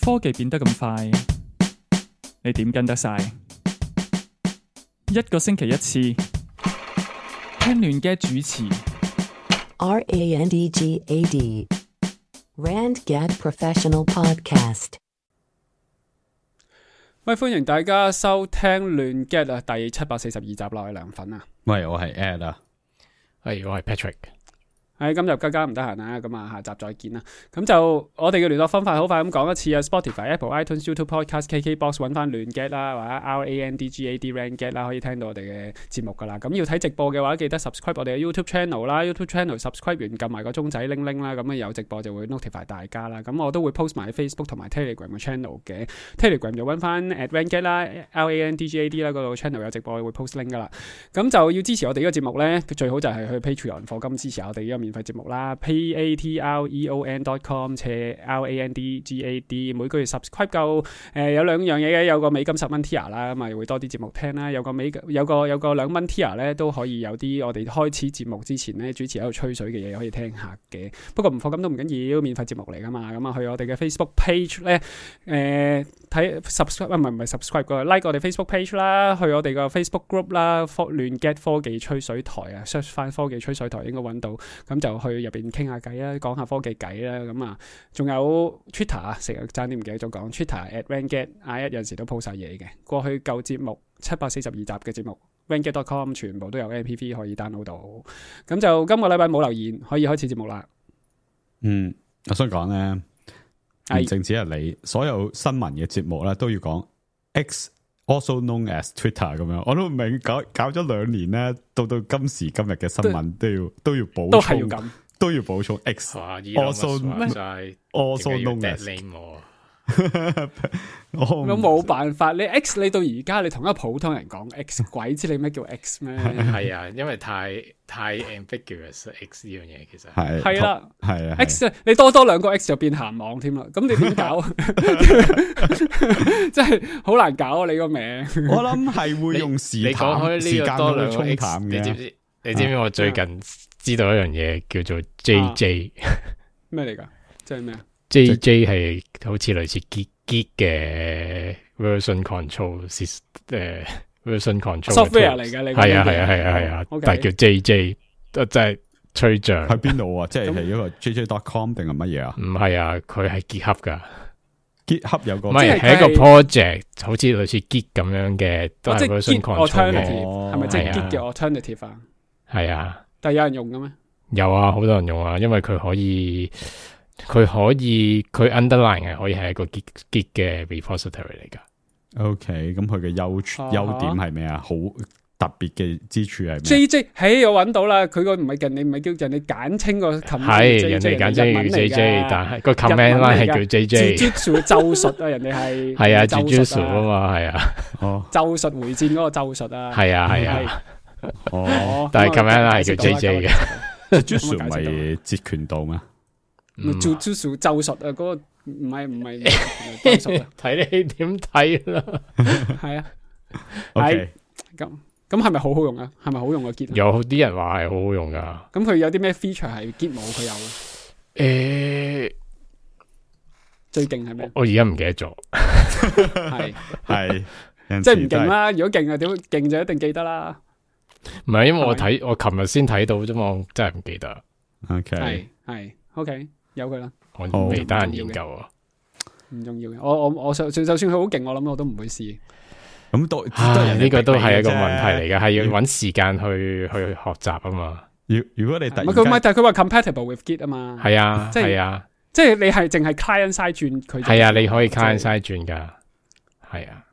科技變得咁快，你點跟得晒？一個星期一次，聽亂嘅主持。RANDGAD RandGad Professional Podcast。喂，歡迎大家收聽亂 get 啊，第742集啦，我係梁粉啊。喂，我係 Ed 啊。係，我係 Patrick。今日更加唔得閒啦，咁啊下集再見啦。咁就我哋嘅聯絡方法好快咁講一次啊 ，Spotify、Apple、iTunes、YouTube Podcast、KKBox 揾翻亂 get 啦，或者 RANDGAD RandGad 啦，可以聽到我哋嘅節目噶啦。咁要睇直播嘅話，記得 subscribe 我哋嘅 YouTube channel 啦 ，YouTube channel subscribe 完撳埋個鐘仔鈴鈴啦，咁啊有直播就會 notify 大家啦。咁我都會 post 埋喺 Facebook 同埋 Telegram 嘅 channel 嘅 ，Telegram 就揾翻 @RandGad 啦 ，RANDGAD 啦，嗰度 channel 有直播會 post link 噶啦。咁就要支持我哋呢個節目咧，最好就係去 Patreon 課金支持我哋呢個免費節目啦 ，patreon.com/RANDGAD 每個月 subscribe 夠有兩樣嘢嘅，有個美金10蚊 tier 啦，咁啊會多啲節目聽啦，有個2蚊 tier 咧都可以有啲我哋開始節目之前咧主持喺度吹水嘅嘢可以聽下嘅。不過唔課金都唔緊要，免費節目嚟噶嘛。咁啊去我哋嘅 Facebook page 咧睇 subscribe 唔係 subscribe 個 like 我哋 Facebook page 啦，去我哋個 Facebook group 啦，亂 get 科技吹水台啊 ，search 翻科技吹水台應該揾到，咁就去入邊傾下偈啦，講下科技偈啦，咁啊，仲有 Twitter 啊，成日爭啲唔記得咗講 Twitter @RandGad，有陣時都 po 晒嘢嘅。過去舊節目742集嘅節目 RandGad.com 全部都有 MP3 可以 download 到。咁就今個禮拜冇留言，可以開始節目啦。我想講咧，唔淨止係你，所有新聞嘅節目咧都要講 X。Also known as Twitter 咁樣，我都唔明搞咗2年咧，到今時今日嘅新聞都要補充，都係要咁，都要補充 X。Also known as 我冇辦法，你 X 你到而家你同一個普通人講 X， 鬼知你咩叫 X 咩？係啊，因為太 ambiguous X 呢樣嘢其實係啦，係啊 X 你多兩個 X 就變鹹網添啦，咁你點搞？真係好難搞啊！你個名，我諗係會用時間多兩個 X 你知唔知？你知唔知我最近知道一樣嘢叫做 JJ 咩嚟噶？即係咩啊？ JJ 係好似類似 Git 嘅 version control version control software 嚟嘅，你係啊，但係叫 JJ 真係吹脹。喺邊度啊？即係一個 JJ.com 定係乜嘢啊？唔係啊，佢係 GitHub 噶。GitHub 有個唔係係一個 project， 好似類似 Git 咁樣嘅，都係 version control 嘅。係咪即係 Git 嘅 alternative 啊？係啊，但係有人用嘅咩？有啊，好多人用啊，因為佢underline 係可以係一個 Git 嘅 repository 嚟噶。OK， 咁佢嘅優點係咩啊？好特別嘅之處係咩 ？JJ， 我揾到啦，佢個唔係人哋唔係叫人哋簡稱個 command， 係人哋簡稱叫 JJ， 但係個 command line 係叫 JJ。咒術啊，人哋係係啊 ，Jujutsu 啊嘛，係啊，咒術回戰嗰個咒術啊，係啊，但係 command line 係叫 JJ 嘅。Jujutsu 唔係截拳道咩？Jujutsu 咒術啊，嗰個唔係咒術啊，睇你點睇啦。係啊，OK，咁係咪好好用啊？係咪好用個 Git？有啲人話係好好用噶。咁佢有啲咩 feature 係 Git 冇佢有？最勁係咩？我而家唔記得咗。係，即係唔勁啦。如果勁啊，點勁就一定記得啦。唔係，因為我琴日先睇到啫嘛，我真係唔記得。OK，係 OK， 由佢啦。我未得閒研究啊。唔重要嘅，我就算佢好勁，我諗我都唔會試。咁呢個都係一個問題嚟嘅，係要搵時間去學習啊嘛。如果你突然間但係佢話 compatible with Git 啊嘛。係啊，即係你係淨係 client side 轉佢。係啊，你可以 client side 轉噶。係啊，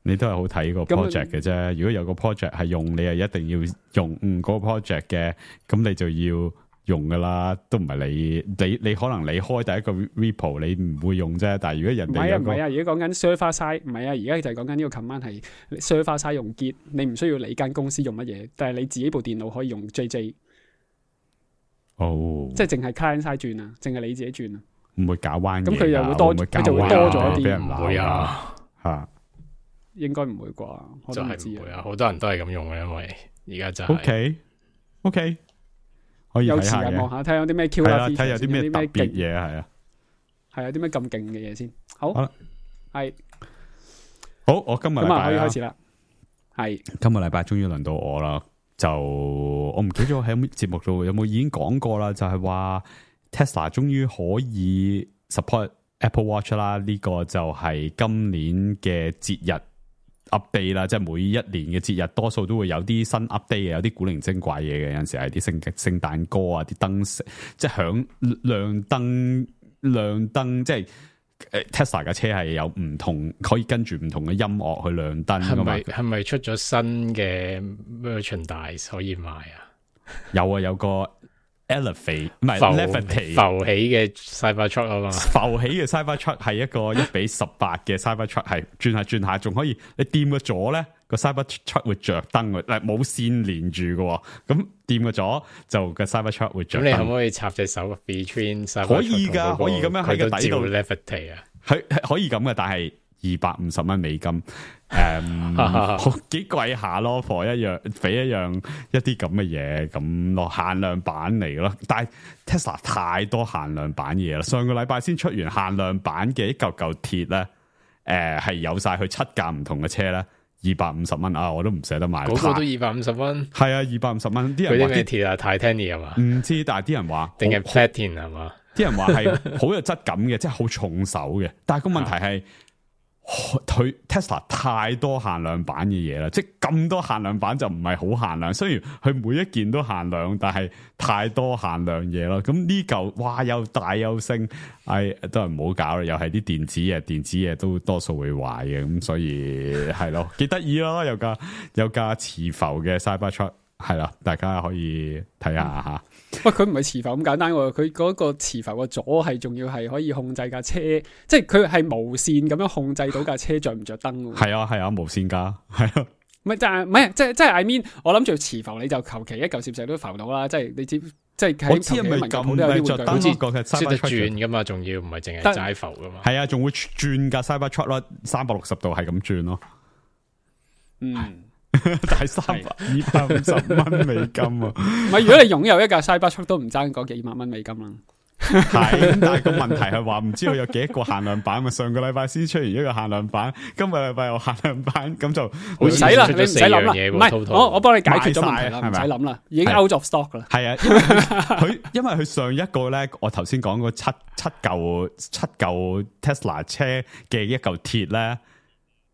你都係好睇個 project 嘅啫。如果有個 project 係用，你係一定要用嗰個 project 嘅，咁你就要用噶啦，都唔係你可能你開第一個 repo 你唔會用啫，但係如果人哋唔係啊，而家講緊 server side， 唔係啊，而家就係講緊呢個 command 係 server side 用 Git， 你唔需要你間公司用乜嘢，但係你自己部電腦可以用 JJ。即係淨係 client side 轉啊，淨係你自己轉啊，唔會搞彎嘅。咁佢又會多，佢就會多咗一啲。唔會啊，吓，應該唔會啩？我都唔知啊，好多人都係咁用嘅，因為而家就係 OK。可以睇下嘅，有時間望下睇有啲咩 Q 啦，睇有啲咩特別嘢係啊。係啊，啲咩咁勁嘅嘢先？好啦，係好，我今日禮咁啊，可以拜開始啦。係今個禮拜終於輪到我啦，就我唔記得咗喺節目度有冇已經講過啦，就係話 Tesla 終於可以 support Apple Watch 啦，呢個就係今年嘅節日 update 啦，即係每一年嘅節日多數都會有啲新 update 嘅，有啲古靈精怪嘢嘅，有陣時係啲聖誕歌啊，啲燈即係響亮燈，即係。Tesla 嘅車係有唔同，可以跟住唔同嘅音樂去亮燈㗎嘛？係咪出咗新嘅 merchandise 可以賣啊？有啊，有個 Elevate 唔係 Levitate 浮起嘅 Cybertruck 啊嘛，浮起嘅 Cybertruck 係一個1:18嘅 Cybertruck， 係轉下仲可以你掂個咗咧個 Cybertruck 會着燈嘅，嗱冇線連住嘅，咁掂個咗就個 Cybertruck 會着燈。咁你可唔可以插隻手 between Cybertruck 可以噶，可以咁樣喺個底度 Levitate 啊？係可以咁嘅，但係250美金，幾貴下咯，for 俾一啲咁嘅嘢咁咯，限量版嚟咯。但係 Tesla 太多限量版嘢啦，上個禮拜先出完限量版嘅一嚿鐵咧，係有晒佢7架唔同嘅車咧，250蚊啊，我都唔捨得買。嗰個都250蚊，係啊，250蚊。啲人話啲咩鐵啊 Titanium 係嘛？唔知，但係啲人話定係 Platinum 係嘛？啲人話係好有質感嘅，即係好重手嘅。但係個問題係，佢 Tesla 太多限量版嘅嘢啦，即係咁多限量版就唔係好限量。雖然佢每一件都限量，但係太多限量嘢咯。咁呢嚿哇又大又升，都係唔好搞啦。又係啲電子嘢都多數會壞嘅。咁所以係咯，幾得意咯。有架磁浮嘅 Cybertruck 係啦，大家可以睇下吓。喂，佢唔係磁浮咁簡單喎，佢嗰個磁浮個座係仲要係可以控制架車，即係佢係無線咁樣控制到架車着唔着燈喎。係啊，無線噶，係啊。唔係即係 I mean， 我諗住磁浮你就求其一嚿攝石都浮到啦，即係你知，即係我知係咪咁咧？着燈好似個嘅識得轉噶嘛，仲要唔係淨係齋浮噶嘛？係啊，仲會轉架 Cybertruck 咯，360度係咁轉咯。嗯。但係250蚊美金啊！唔係，如果你擁有一架 Cybertruck 都唔爭嗰幾萬蚊美金啦。係，但係個問題係話唔知道有幾多個限量版嘛？上個禮拜先出現一個限量版，今個禮拜有限量版，咁就唔使啦，你唔使諗啦。唔係，我幫你解決咗問題啦，唔使諗啦，已經 out of stock 啦。係啊，因為佢上一個咧，我頭先講嗰七嚿 Tesla 車嘅一嚿鐵咧。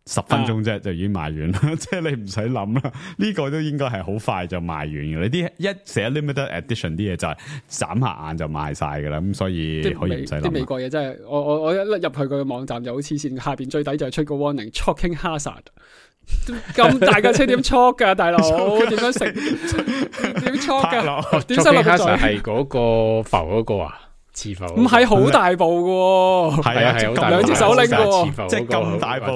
10分鐘啫，就已經賣完啦，即係你唔使諗啦。呢個都應該係好快就賣完嘅。你啲一寫 limited edition 啲嘢就係眨下眼就賣晒噶啦，咁所以可以唔使諗。啲美國嘢真係，我一入去佢嘅網站就好黐線，下邊最底就係出個 warning choking hazard。咁大架車點 choke 噶，大佬點樣食？點 choke 噶？點塞落個嘴？係嗰個浮嗰個啊？磁浮唔係好大部嘅，係啊，係兩隻手拎嘅，即係咁大部，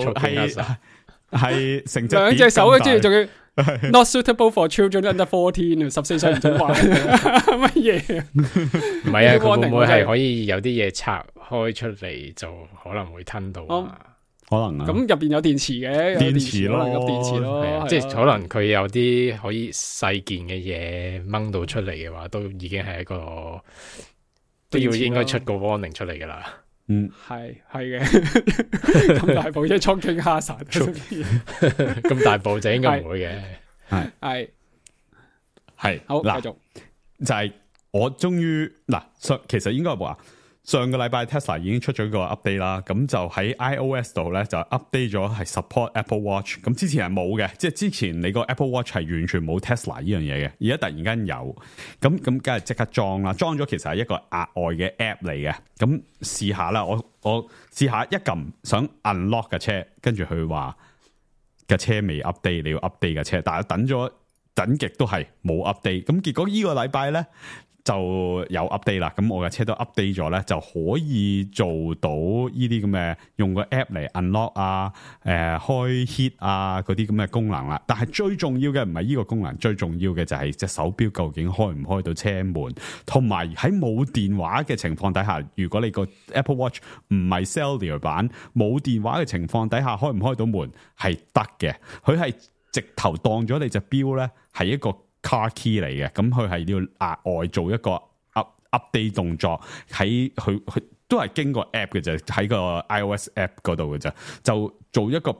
係成隻兩隻手嘅，之仲要 not suitable for children under 14 14歲唔准玩乜嘢？唔係啊，佢會唔會係可以有啲嘢拆開出嚟就可能會吞到啊？可能啊，咁入邊有電池嘅，電池咯，有電池咯，即係可能佢有啲可以細件嘅嘢掹到出嚟嘅話，都已經係一個。都要應該出個 warning 出嚟噶啦，係嘅，咁大部車 choking hazard，咁大部就應該唔會嘅，係好繼續，就係我終於嗱，其實應該話上個禮拜 Tesla 已經出咗個 update 啦，咁就喺 iOS 度咧就 update 咗係 support Apple Watch，咁之前係冇嘅，即係之前你個 Apple Watch 係完全冇 Tesla 呢樣嘢嘅，而家突然間有，咁梗係即刻裝啦，裝咗其實係一個額外嘅 app 嚟嘅，咁試下啦，我試下一撳想 unlock 架車，跟住佢話架車未 update， 你要 update 架車，但係等極都係冇 update， 咁結果呢個禮拜咧。就有 update 啦，咁我嘅車都 update 咗咧，就可以做到呢啲咁嘅用個 app 嚟 unlock 啊，開 hit 啊嗰啲咁嘅功能啦。但係最重要嘅唔係呢個功能，最重要嘅就係隻手錶究竟開唔開到車門，同埋喺冇電話嘅情況底下，如果你個 Apple Watch 唔係 cellular 版，冇電話嘅情況底下，開唔開到門係得嘅。佢係直頭當咗你隻錶咧係一個car key 嚟嘅，咁佢係要額外做一個 update 動作，喺佢都係經過 app 嘅啫，喺個 iOS app 嗰度嘅啫，就做一個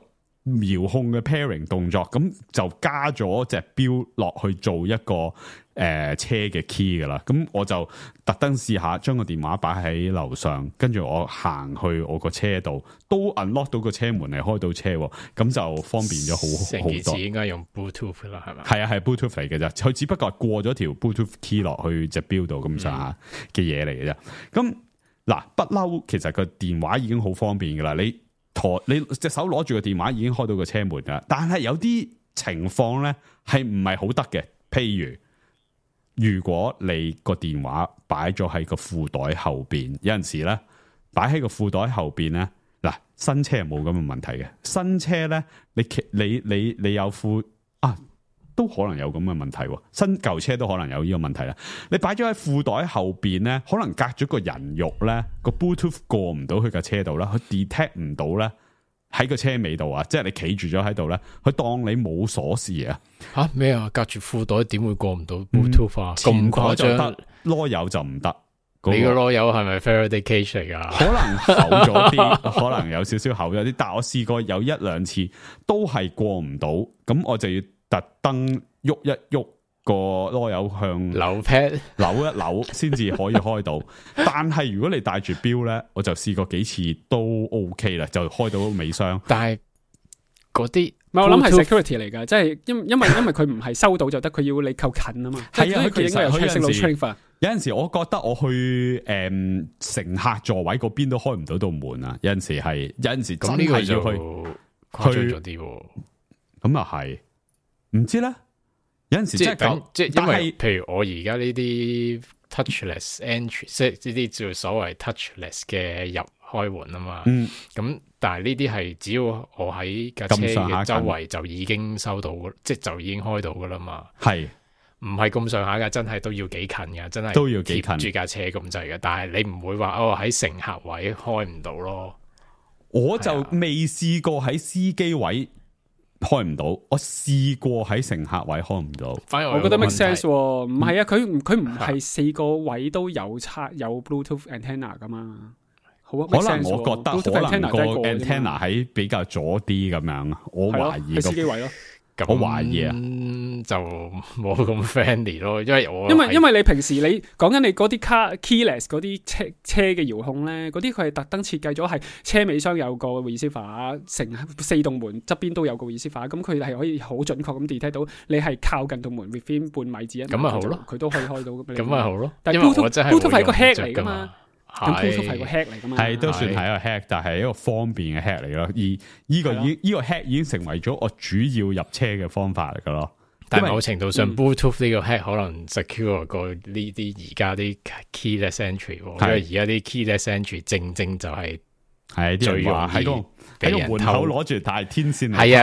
遙控嘅 pairing 動作，咁就加咗隻錶落去做一個車嘅 key 噶啦。咁我就特登試下將個電話擺喺樓上，跟住我行去我個車度，都 unlock 到個車門嚟開到車，咁就方便咗好多。成件事應該用 Bluetooth 啦，係咪？係啊，係 Bluetooth 嚟嘅啫，佢只不過係過咗條 Bluetooth key 落去隻錶度咁上下嘅嘢嚟嘅啫。咁嗱，不嬲，其實個電話已經好方便噶啦，你隻手攞住個電話已經開到個車門噶，但係有啲情況咧係唔係好得嘅，譬如果你個電話擺咗喺個褲袋後邊，有陣時咧擺喺個褲袋後邊咧，嗱，新車係冇咁嘅問題嘅，新車咧你有褲啊，都可能有咁嘅問題，新舊車都可能有呢個問題啦。你擺咗喺褲袋後邊咧，可能隔咗個人肉咧，個 Bluetooth 過唔到去架車度啦，佢 detect 唔到咧喺個車尾度啊，即係你企住咗喺度咧，佢當你冇鎖匙啊。吓咩啊？隔住褲袋點會過唔到 Bluetooth 啊？咁誇張，囉柚就唔得。你個囉柚係咪 Faraday cage 嚟噶？可能厚咗啲，可能有少少厚咗啲，但我試過有一兩次都係過唔到，咁我就要特登喐一喐個囉柚向扭 pad 扭一扭先至可以開到。但係如果你帶住錶咧，我就試過幾次都 OK 啦，就開到尾箱。但係嗰啲唔係，我諗係 security 嚟㗎，即係因為佢唔係收到就得，佢要你靠近啊嘛。係啊，佢應該有 training 有陣時我覺得我去乘客座位嗰邊都開唔到道門啊。有陣時係，有陣時真係要去誇張咗啲。咁又係，唔知咧。有陣時真係即係因為譬如我而家呢啲 touchless entry， 即係呢啲叫所謂 touchless 嘅入開門啊嘛。咁但係呢啲係只要我喺架車嘅周圍就已經收到，即係就已經開到噶啦嘛。係唔係咁上下噶？真係都要幾近噶，真係都要幾近住架車咁滯嘅。但係你唔會話喺乘客位開唔到咯。我就未試過喺司機位開唔到，我試過喺乘客位開唔到。反而我覺得 make sense，唔係啊，佢唔係四個位都有有 Bluetooth antenna 噶嘛。好啊，可能我覺得可能個 antenna 喺比較左啲咁樣，我懷疑司機位咯。我懷疑啊，就冇咁 friendly 咯，因為你平時你講緊你嗰啲keyless 嗰啲車嘅遙控咧，嗰啲佢係特登設計咗係車尾箱有個 receiver， 成四棟門側邊都有個 receiver， 咁佢係可以好準確咁 detect 到你係靠近道門 within 半米至1米，咁咪好咯，佢都可以開到。咁咪好咯，但係 Bluetooth 係個 hack 嚟噶嘛。咁 Bluetooth 係個 hack 嚟噶嘛？係都算係一個 hack，但係一個方便嘅 hack 嚟咯。而呢個 hack 已經成為咗我主要入車嘅方法嚟噶咯。但係某程度上 Bluetooth 呢個 hack 可能 secure 過呢啲而家啲 keyless entry， 因為而家啲 keyless entry 正就係最容易喺個門口攞住大天線嚟。係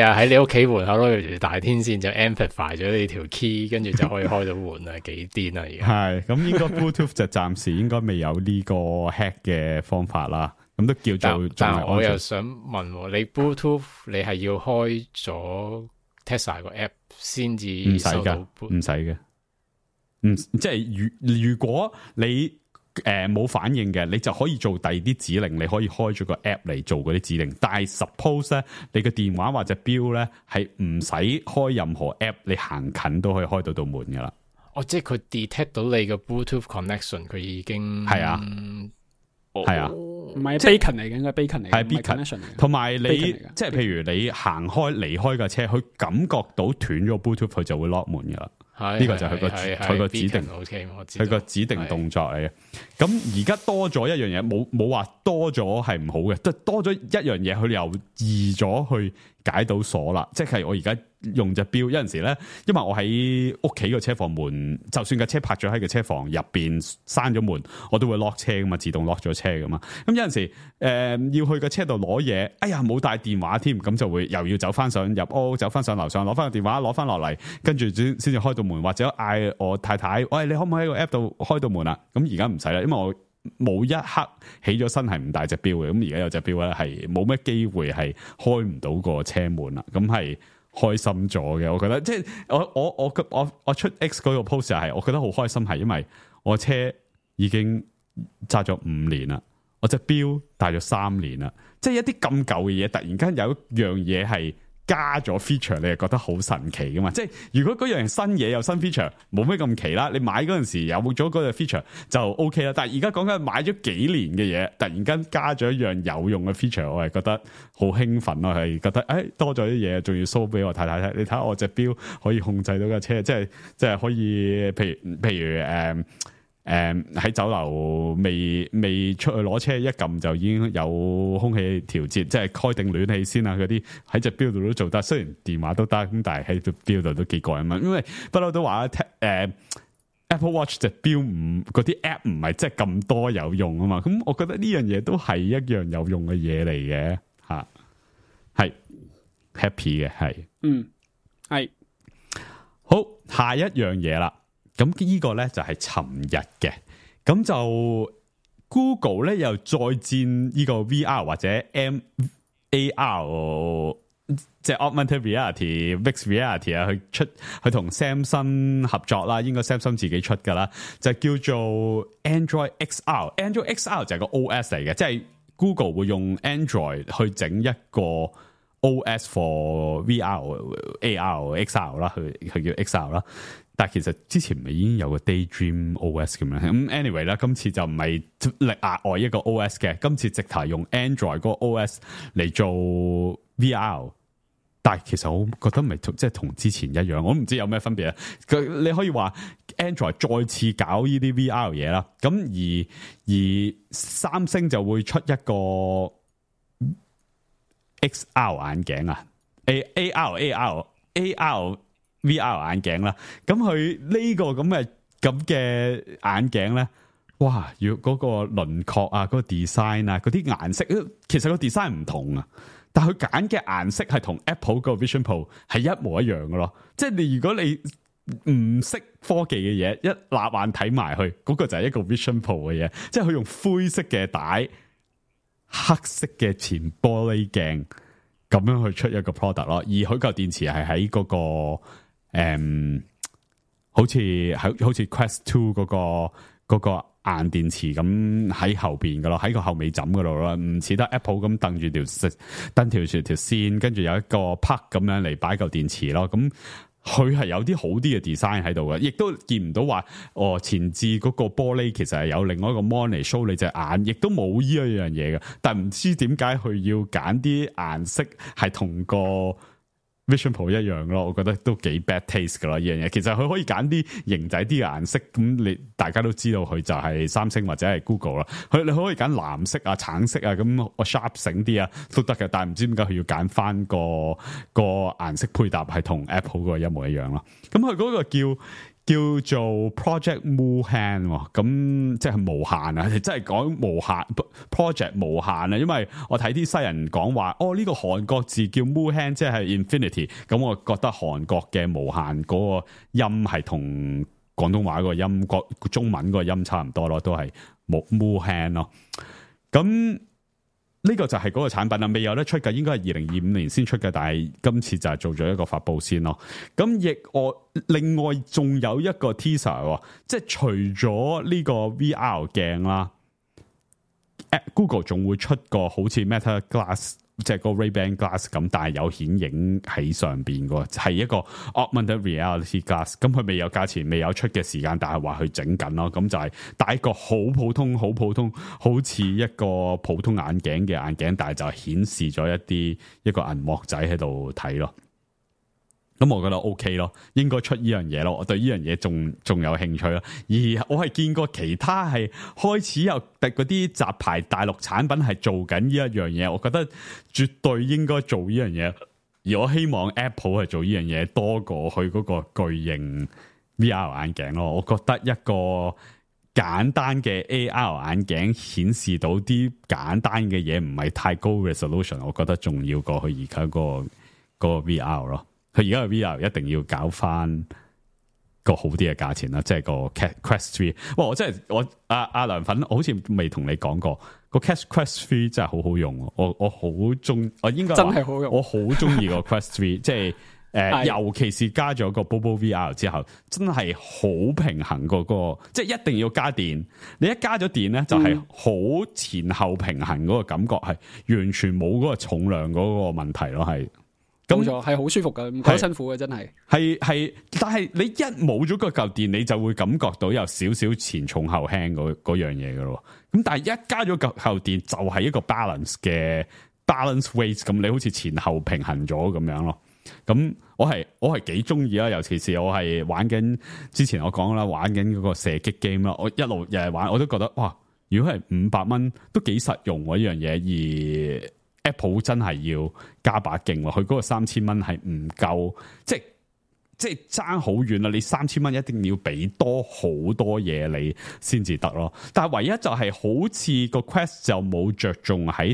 啊，喺你屋企門口攞住大天線就 amplify 咗你條 key， 跟住就可以開到門啊，幾癲啊！而家係咁，應該 Bluetooth 就暫時應該未有呢個 hack 嘅方法啦。咁都叫做，但係我又想問你 Bluetooth 你係要開咗 Tesla 個 app 先至收到？唔使嘅，即係如果你冇反應嘅，你就可以做第二啲指令，你可以開咗個 app 嚟做嗰啲指令。但係 suppose 咧，你個電話或者錶咧係唔使開任何 app， 你行近都可以開到道門噶啦。即係佢 detect 到你個 Bluetooth connection， 佢已經係啊，係啊，唔係 beacon 嚟嘅，應該 beacon 嚟嘅，係 beacon。同埋你即係譬如你行開離開架車，佢感覺到斷咗 Bluetooth， 佢就會 lock 門噶啦。呢個就係佢個指定，佢個指定動作嚟嘅。咁而家多咗一樣嘢，冇話多咗係唔好嘅，多咗一樣嘢，佢又易咗去解到鎖啦。即係我而家用隻錶，有陣時咧，因為我喺屋企個車房門，就算架車泊咗喺個車房入邊閂咗門，我都會 lock 車噶嘛，自動 lock 咗車噶嘛。咁有陣時要去個車度攞嘢，哎呀冇帶電話添，咁就會又要走翻上入屋，走翻上樓上攞翻個電話，攞翻落嚟，跟住先至開到門，或者嗌我太太，喂，你可唔可以喺個 app 度開到門啊？咁而家唔使啦，因為我冇一刻起咗身係唔帶隻錶嘅，咁而家有隻錶咧係冇咩機會係開唔到個車門啦，咁係開心咗嘅。我覺得即係我出 X 嗰個 post 係，我覺得好開心，係因為我車已經揸咗5年啦，我隻錶戴咗3年啦，即係一啲咁舊嘅嘢，突然間有一樣嘢係加咗 feature， 你係覺得好神奇噶嘛？即係如果嗰樣新嘢有新 feature，冇咩咁奇啦。你買嗰陣時有咗嗰個 feature 就 OK 啦。但係而家講緊買咗幾年嘅嘢，突然間加咗一樣有用嘅 feature， 我係覺得好興奮咯，係覺得多咗啲嘢，仲要 show 俾我睇睇。你睇下我隻錶可以控制到架車，即係可以，譬如喺酒樓未出去攞車，一撳就已經有空氣調節，即係開定暖氣先啊！嗰啲喺隻錶度都做得，雖然電話都得，咁但係喺隻錶度都幾過癮啊！因為不嬲都話Apple Watch 隻錶嗰啲 app 唔係即係咁多有用啊嘛，咁我覺得呢樣嘢都係一樣有用嘅嘢嚟嘅吓，係 happy 嘅係，係好，下一樣嘢啦。咁呢個咧就係尋日嘅，咁就 Google 咧又再戰呢個 VR 或者 AR， 即係 Augmented Reality、Mixed Reality 啊，去同 Samsung 合作啦，應該 Samsung 自己出噶啦，就叫做 Android XR。Android XR 就係個 OS 嚟嘅，即係 Google 會用 Android 去整一個 OS for VR、AR、XR 啦，佢叫 XR 啦。但係其實之前咪已經有個 Daydream OS 咁樣，咁 anyway 啦，今次就唔係額外一個 OS 嘅，今次直頭用 Android 嗰個 OS 嚟做 VR， 但係其實我覺得咪即係同之前一樣，我唔知有咩分別啊。你可以話 Android 再次搞呢啲 VR 嘢啦，咁而三星就會出一個 XR 眼鏡啊 ，AR VR 眼鏡啦，咁佢呢個咁嘅眼鏡咧，哇！要嗰個輪廓啊，嗰個 design 啊，嗰啲顏色，其實個 design 唔同啊，但係佢揀嘅顏色係同 Apple 個 Vision Pro 係一模一樣嘅咯。即係如果你唔識科技嘅嘢，一立眼睇埋去，嗰個就係一個 Vision Pro 嘅嘢。即係佢用灰色嘅帶、黑色嘅前玻璃鏡咁樣去出一個 product 咯。而佢個電池係喺嗰個。好似 Quest 2嗰個硬電池咁喺後邊噶咯，喺個後尾枕嗰度咯，唔似得 Apple 咁蹬住條線，跟住有一個 plug 咁樣嚟擺嚿電池咯。咁佢係有啲好啲嘅 design 喺度嘅，亦都見唔到話前置嗰個玻璃其實係有另外一個 mon 嚟 show 你隻眼，亦都冇呢一樣嘢嘅。但唔知點解佢要揀啲顏色係同個Vision Pro 一樣咯，我覺得都幾 bad taste 噶啦呢樣嘢。其實佢可以揀啲型仔啲嘅顏色，咁大家都知道佢就係三星或者係 Google 啦。你可以揀藍色啊、橙色啊，咁我 sharp 醒啲啊都得嘅。但係唔知點解佢要揀翻個顏色配搭係同 Apple 個一模一樣咯。咁佢嗰個叫做 Project Muhan， 咁即係無限啊！真係講無限 Project 無限啊！因為我睇啲西人講話，呢個韓國字叫 Muhan， 即係 Infinity。咁我覺得韓國嘅無限嗰個音係同廣東話嗰個音、中文嗰個音差唔多咯，都係 Muhan 咯。咁呢個就係嗰個產品啦，未有得出嘅，應該係2025年先出嘅，但係今次就係做咗一個發佈先咯。咁另外仲有一個 teaser， 即係除咗呢個 VR 鏡啦 ，Google 仲會出個好似 Meta Glass， 即係個 Ray-Ban Glass 咁，但係有顯影喺上邊嘅，係一個 Augmented Reality Glass。咁佢未有價錢，未有出嘅時間，但係話佢整緊咯。咁就係戴一個好普通、好似一個普通眼鏡嘅眼鏡，但係就顯示咗一個銀幕仔喺度睇咯。咁我覺得 OK 咯，應該出呢樣嘢咯。我對呢樣嘢仲有興趣咯。而我係見過其他係開始有嗰啲雜牌大陸產品係做緊呢一樣嘢，我覺得絕對應該做呢樣嘢。而我希望 Apple 係做呢樣嘢多過去嗰個巨型 VR 眼鏡咯。我覺得一個簡單嘅 AR 眼鏡顯示到啲簡單嘅嘢，唔係太高 resolution， 我覺得仲要過去而家個 VR 咯。佢而家嘅 VR 一定要搞翻個好啲嘅價錢啦，即係個 Quest 3。哇！我真係阿梁粉，我好似未同你講過個 Quest 3真係好好用。我好中，我應該真係好用。我好中意個 Quest 3，即係尤其是加咗個 Bobo VR 之後，真係好平衡個即係一定要加電。你一加咗電咧，就係好前後平衡嗰個感覺，係完全冇嗰個重量嗰個問題咯，係。冇錯，係好舒服嘅，唔覺得辛苦嘅，真係。係，但係你一冇咗個嚿電，你就會感覺到有少少前重後輕嗰樣嘢嘅咯。咁但係一加咗嚿電，就係一個 balance weight，咁你好似前後平衡咗咁樣咯。咁我係幾中意啦，尤其是我係玩緊之前我講啦，玩緊嗰個射擊 game 啦，我一路日日玩，我都覺得哇，如果係500蚊都幾實用喎呢樣嘢，而Apple 真係要加把勁喎，佢嗰個3000蚊係唔夠，即係爭好遠啦！你3000蚊一定要俾多好多嘢你先至得咯。但係唯一就係好似個 Quest 就冇着重喺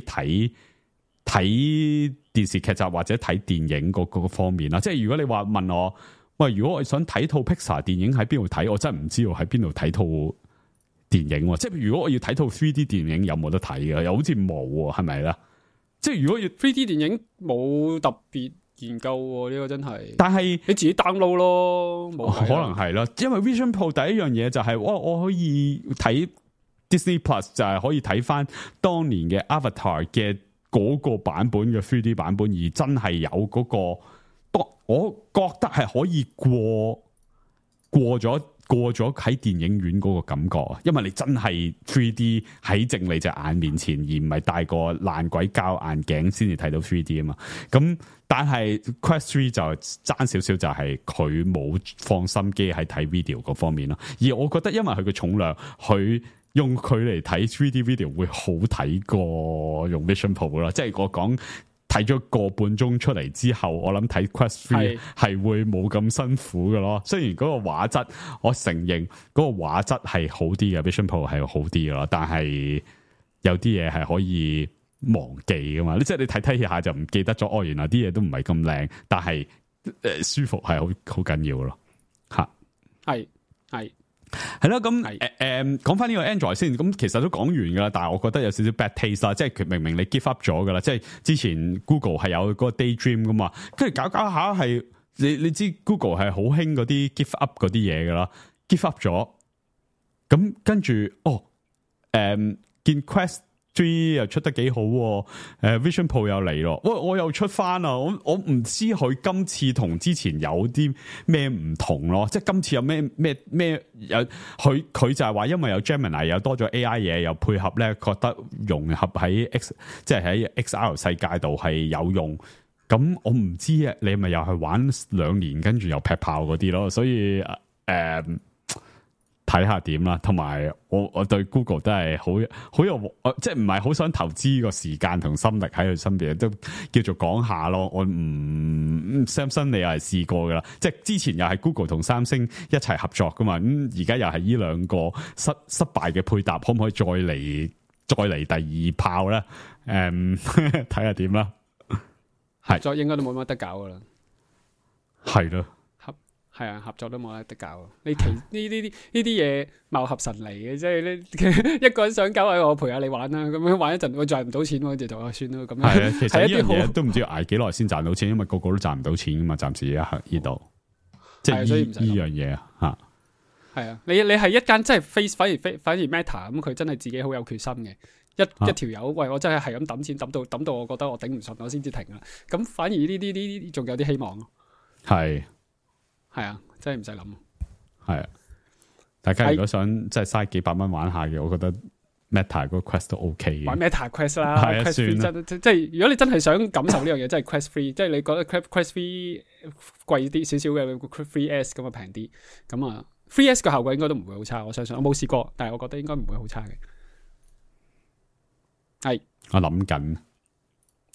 睇電視劇集或者睇電影嗰個方面啦。即係如果你話問我，喂，如果我想睇套 Pixar 電影喺邊度睇，我真係唔知道喺邊度睇套電影。即係如果我要睇套 3D 電影有冇得睇嘅？又好似冇喎，係咪啦？即係如果要 3D 電影冇特別研究喎，呢個真係。但係你自己 download 咯，冇可能係啦。因為 Vision Pro 第一樣嘢就係我可以睇 Disney Plus， 就係可以睇翻當年嘅 Avatar 嘅嗰個版本嘅 3D 版本，而真係有嗰個，我覺得係可以過咗喺電影院嗰個感覺啊，因為你真係 3D 喺正你隻眼面前，而唔係戴個爛鬼膠眼鏡先至睇到 3D 啊嘛。咁但係 Quest 3就爭少少，就係佢冇放心機喺睇 video 嗰方面咯。而我覺得因為佢嘅重量，佢用佢嚟睇 3D video 會好睇過用 Vision Pro 啦。即係我講。睇咗個半鐘出嚟之後，我諗睇 Quest 3係會冇咁辛苦嘅咯。雖然嗰個畫質，我承認嗰個畫質係好啲嘅，Vision Pro 係好啲嘅咯。但係有啲嘢係可以忘記噶嘛。即係你睇下就唔記得咗。哦，原來啲嘢都唔係咁靚，但係舒服係好緊要咯。吓，係咯，咁講翻呢個 Android 先，咁其實都講完噶啦，但係我覺得有少少 bad taste 啦，即係佢明明你 give up 咗噶啦，即係之前 Google 係有嗰個 Daydream 噶嘛，跟住搞下係你知 Google 係好興嗰啲 give up 嗰啲嘢噶啦 ，give up 咗，咁跟住見 Quest 3又出得幾好，Vision Pro 又嚟咯，我又出翻啦，我唔知佢今次同之前有啲咩唔同咯，即係今次有咩有佢就係話因為有 Gemini 又多咗 AI 嘢，又配合咧覺得融合喺即係喺 XR 世界度係有用，咁我唔知啊，你咪又係玩2年跟住又劈炮嗰啲咯，所以睇下點啦，同埋我對 Google 都係好有，即係唔係好想投資個時間同心力喺佢身邊，都叫做講下咯。我唔Samsung 你又係試過噶啦，即係之前又係 Google 同三星一齊合作噶嘛，咁而家又係呢兩個失敗嘅配搭，可唔可以再嚟第二炮咧？睇下點啦。合作應該都冇乜得搞噶啦，係咯。係啊，合作都冇得搞。呢啲嘢貌合神離嘅，即係呢一個人想搞，我陪下你玩啦。咁樣玩一陣，我賺唔到錢，我就算啦。咁樣係啊，其實呢樣嘢都唔知捱幾耐先賺到錢，因為個個都賺唔到錢噶嘛。暫時一刻呢度，即係呢樣嘢啊吓。係啊，你係一間真係 反而 Meta 咁，佢真係自己好有決心嘅。一條友，喂，我真係咁抌錢抌到，我覺得我頂唔順，我先至停啦。咁反而呢啲仲有啲希望。係啊，真係唔使諗。係啊，大家如果想即係嘥幾百蚊玩下嘅，我覺得 Meta 嗰個 Quest 都 OK 嘅。玩 Meta Quest 啦，Quest 3即係如果你真係想感受呢樣嘢，真係 Quest 3，即係你覺得 Quest 3貴啲少少嘅 3S 咁啊平啲，咁啊 3S 嘅效果應該都唔會好差，我相信。我冇試過，但係我覺得應該唔會好差嘅。係，我諗緊，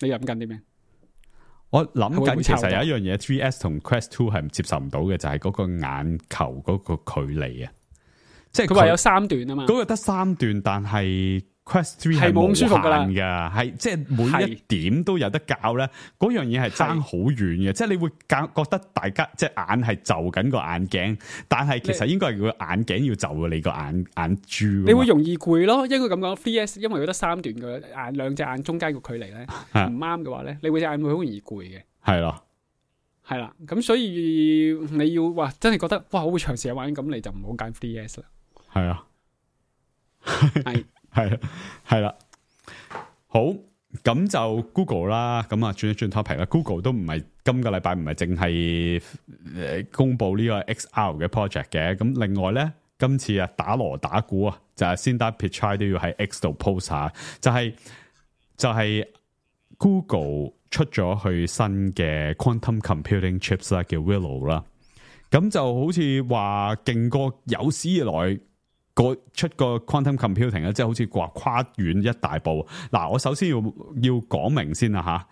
你諗緊啲咩？我諗緊，其實有一樣嘢 3S 同 Quest 2係接受唔到嘅，就係嗰個眼球嗰個距離啊！即係佢話有3段啊嘛，嗰個得3段，但係 Quest 3係冇咁舒服噶啦，係即係每一點都有得較咧。嗰樣嘢係爭好遠嘅，即係你會覺得大家即係眼係就緊個眼鏡，但係其實應該係個眼鏡要就你個眼珠。你會容易攰咯，應該咁講。3S 因為佢得3段嘅眼，兩隻眼中間個距離咧唔啱嘅話咧，你隻眼會好容易攰嘅。係咯，係啦，咁所以你要話真係覺得哇，我會長時間玩，咁你就唔好揀 3DS 啦。係啊，係係啦，好，咁就 Google 啦，咁啊轉一轉 topic 啦。Google 都唔係今個禮拜唔係淨係公布呢個 XR 嘅 project 嘅，咁另外咧今次啊打鑼打鼓啊，就係 Sundar Pichai 都要喺 X 度 post 下，就係 Google 出咗去新嘅 quantum computing chips 啦，叫 Willow 啦，咁就好似話勁過有史以來出個 quantum computing 咧，即係好似話跨遠一大步。嗱，我首先要講明先啦吓，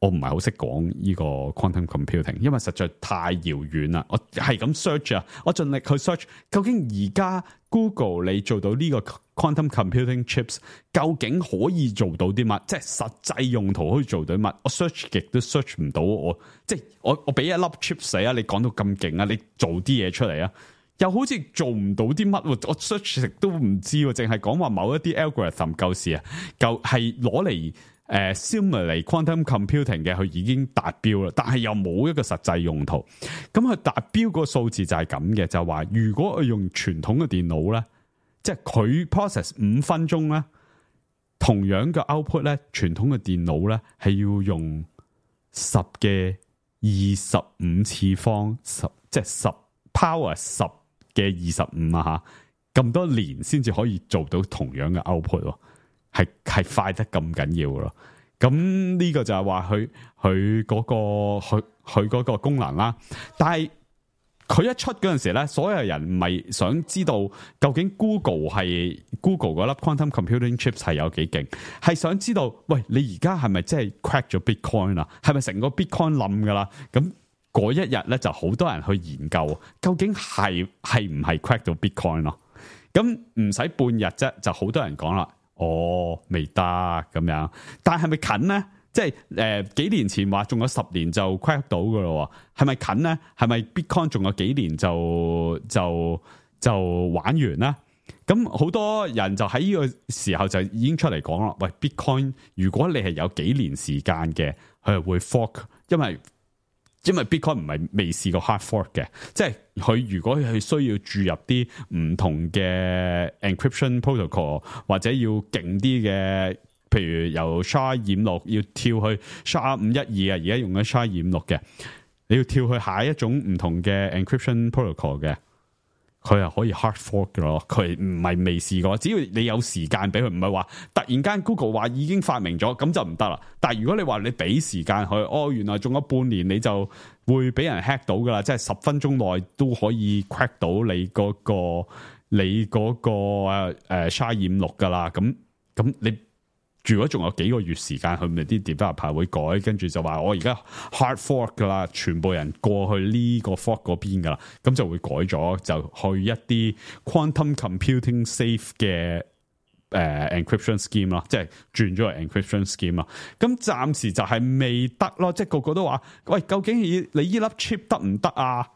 我唔係好識講呢個 quantum computing， 因為實在太遙遠啦。我係咁 search 啊，我盡力去 search， 究竟而家 Google 你做到呢個 quantum computing chips， 究竟可以做到啲乜？即係實際用途可以做到啲乜？我 search 極都 search 唔到，我俾一粒 chips 你啊，你講到咁勁啊，你做啲嘢出嚟啊！又好似做唔到啲乜，我 search 都唔知，淨係講話某一啲 algorithm 舊時啊，舊係攞嚟simulate quantum computing 嘅，佢已經達標啦，但係又冇一個實際用途。咁佢達標個數字就係咁嘅，就係話如果佢用傳統嘅電腦咧，即係佢 process 5分鐘咧，同樣嘅 output 咧，傳統嘅電腦咧係要用10嘅25次方10，即係10 power 10嘅25啊吓，咁多年先至可以做到同樣嘅 output， 係快得咁緊要咯。咁呢個就係話佢嗰個功能啦。但係佢一出嗰陣時咧，所有人唔係想知道究竟 Google 嗰粒 quantum computing chips 係有幾勁，係想知道喂，你而家係咪真係 crack 咗 Bitcoin 啊？係咪成個 Bitcoin 冧噶啦？咁嗰一日咧就好多人去研究，究竟係唔係 crack 到 Bitcoin 咯？咁唔使半日啫，就好多人講啦。未得咁樣，但係咪近咧？即係幾年前話仲有10年就 crack 到噶咯？係咪近咧？係咪 Bitcoin 仲有幾年就玩完啦？咁好多人就喺呢個時候就已經出嚟講啦。喂 ，Bitcoin 如果你係有幾年時間嘅，佢係會 fork，因為 Bitcoin 唔係未試過 hard fork 嘅，即係佢如果佢需要注入啲唔同嘅 encryption protocol 或者要勁啲嘅，譬如由 SHA-256要跳去 SHA-512啊，而家用緊 SHA-256嘅，你要跳去下一種唔同嘅 encryption protocol 嘅，佢係可以 hard fork 嘅咯。佢唔係未試過，只要你有時間俾佢，唔係話突然間 Google 話已經發明咗咁就唔得啦。但係如果你話你俾時間佢，原來仲有半年你就會俾人 hack 到噶啦，即係10分鐘內都可以 crack 到你嗰個SHA-256噶啦。咁你如果仲有幾個月時間，佢咪啲 developer 會改，跟住就話我而家 hard fork 噶啦，全部人過去呢個 fork 嗰邊噶啦，咁就會改咗，就去一啲 quantum computing safe 嘅encryption scheme 咯，即係轉咗個 encryption scheme 咯。咁暫時就係未得咯，即係個個都話喂，究竟你呢粒 chip 得唔得啊？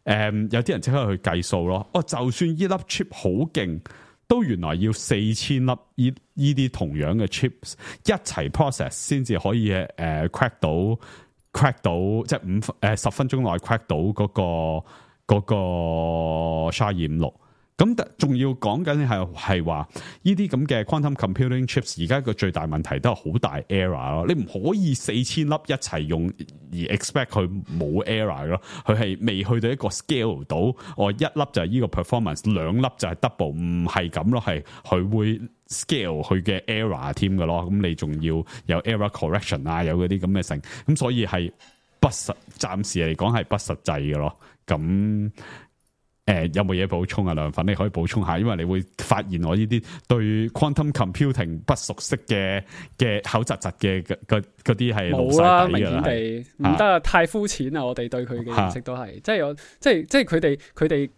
有啲人即刻去計數咯。就算呢粒 chip 好勁，都原來要4000粒呢啲同樣嘅 chips 一齊 process 先至可以crack 到，即係10分鐘內 crack 到嗰個 SHA-256。咁仲要講緊係話呢啲咁嘅 quantum computing chips 而家個最大問題都係好大 error 咯，你唔可以4000粒一齊用而 expect 佢冇 error 咯，佢係未去到一個 scale 到，一粒就係呢個 performance， 兩粒就係 double， 唔係咁咯，係佢會 scale 佢嘅 error 添嘅咯，咁你仲要有 error correction 啊，有嗰啲咁嘅性，咁所以係暫時嚟講係不實際嘅咯，咁。有冇嘢補充啊？梁粉你可以補充下，因為你會發現我呢啲對 quantum computing 不熟悉嘅口窒窒嘅嗰啲係冇啦，明顯地唔得啊，太膚淺啦！我哋對佢嘅認識都係，即係佢哋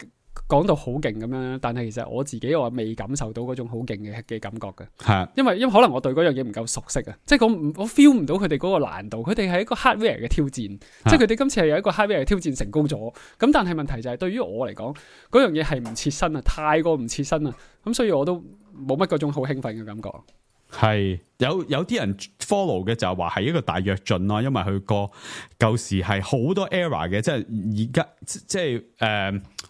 講到好勁咁樣，但係其實我自己我未感受到嗰種好勁嘅感覺嘅，係因為可能我對嗰樣嘢唔夠熟悉啊，即係我 feel 唔到佢哋嗰個難度，佢哋係一個 hardware 嘅挑戰，即係佢哋今次係有一個 hardware 嘅挑戰成功咗，咁但係問題就係對於我嚟講，嗰樣嘢係唔切身啊，太過唔切身啊，咁所以我都冇乜嗰種好興奮嘅感覺。係有啲人 follow 嘅就係話係一個大躍進咯，因為佢個舊時係好多 error 嘅，即係而家即係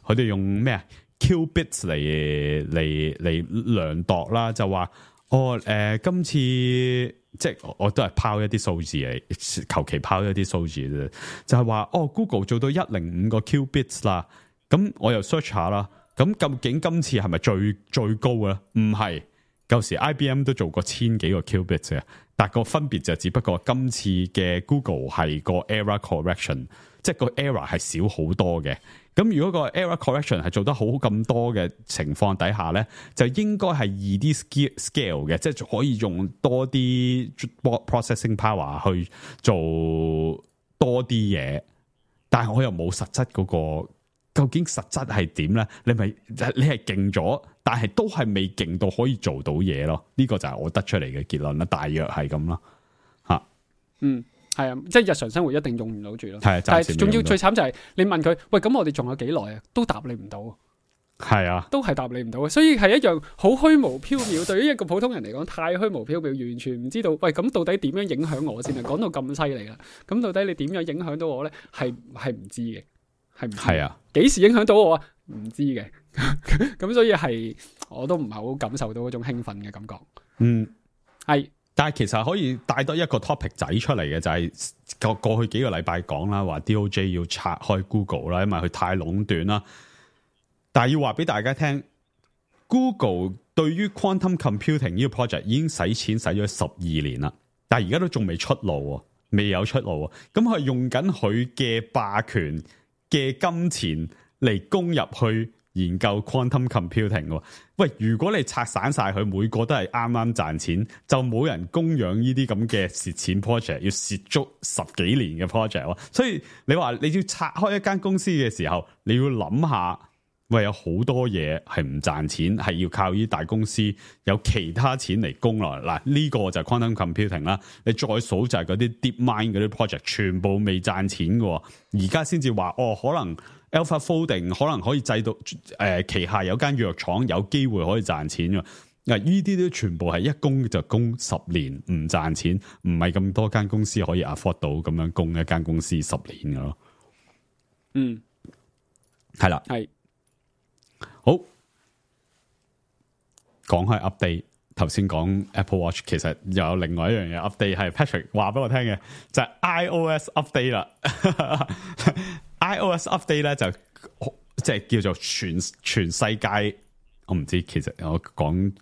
佢哋用咩啊 qubits 嚟量度啦，就話今次即係我都係拋一啲數字嚟，求其拋一啲數字啫，就係話Google 做到105個 qubits 啦，咁我又 search 下啦，咁究竟今次係咪最高嘅咧？唔係。舊時 IBM 都做過1000幾個 qubits 嘅，但個分別就只不過今次嘅 Google 係個 error correction， 即係個 error 係少好多嘅。咁如果個 error correction 係做得好咁多嘅情況底下咧，就應該係易啲 scale 嘅，即係可以用多啲 processing power 去做多啲嘢。但係我又冇實質嗰個，究竟實質係點咧？你係勁咗？但係都係未勁到可以做到嘢咯，呢個就係我得出嚟嘅結論啦，大約係咁咯，吓，係啊，即係日常生活一定用唔到住咯，係，但係仲要最慘就係你問佢，喂，咁我哋仲有幾耐啊？都答你唔到，係啊，都係答你唔到，所以係一樣好虛無縹緲，對於一個普通人嚟講，太虛無縹緲，完全唔知道，喂，咁到底點樣影響我先啊？講到咁犀利啦，咁到底你點樣影響到我咧？係唔知嘅，係啊，幾時影響到我啊？唔知嘅。咁所以係我都唔係好感受到嗰種興奮嘅感覺。係，但係其實可以帶多一個 topic 仔出嚟嘅，就係過去幾個禮拜講啦，話 DOJ 要拆開 Google 啦，因為佢太壟斷啦。但係要話俾大家聽 ，Google 對於 quantum computing 呢個 project 已經使錢使咗12年啦，但係而家都仲未出路，未有出路。咁佢用緊佢嘅霸權嘅金錢嚟攻入去研究 quantum computing 喎，喂！如果你拆散晒佢，每個都係啱啱賺錢，就冇人供養呢啲咁嘅蝕錢 project， 要蝕足10幾年嘅 project。所以你話你要拆開一間公司嘅時候，你要諗下，喂，有好多嘢係唔賺錢，係要靠呢啲大公司有其他錢嚟供落嚟。嗱，呢個就係 quantum computing 啦。你再數就係嗰啲 DeepMind 嗰啲 project， 全部未賺錢嘅，而家先至話可能。Alpha Folding 可能可以製到旗下有間藥廠有機會可以賺錢嘅，嗱，呢啲都全部係一供就供10年唔賺錢，唔係咁多間公司可以 afford 到咁樣供一間公司10年嘅咯。係啦，係好講開 update， 頭先講 Apple Watch， 其實又有另外一樣嘢 update 係 Patrick 話俾我聽嘅，就係 iOS update 啦。iOS update 咧就即係叫做全世界，我唔知其實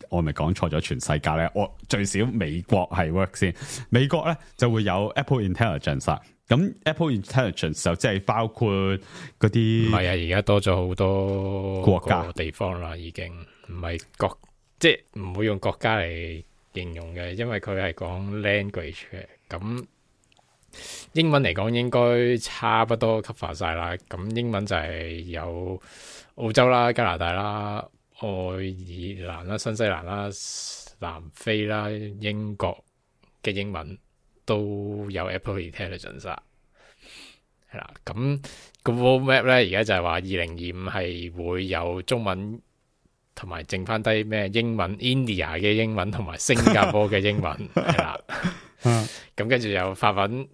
我咪講錯咗全世界咧，我最少美國係 work 先，美國咧就會有 Apple Intelligence 啦，咁 Apple Intelligence 就即係包括嗰啲，唔係啊，而家多咗好多國家地方啦，已經唔係國，即係唔會用國家嚟形容嘅，因為佢係講 language 嘅，咁。英文嚟講應該差不多 cover 晒啦，咁英文就係有澳洲啦、加拿大啦、愛爾蘭啦、新西蘭啦、南非啦、英國嘅英文都有 Apple Intelligence 啦，係啦，咁個 roadmap 咧而家就係話2025係會有中文同埋剩翻低咩英文 India 嘅英文同埋新加坡嘅英文係啦，咁跟住有法文、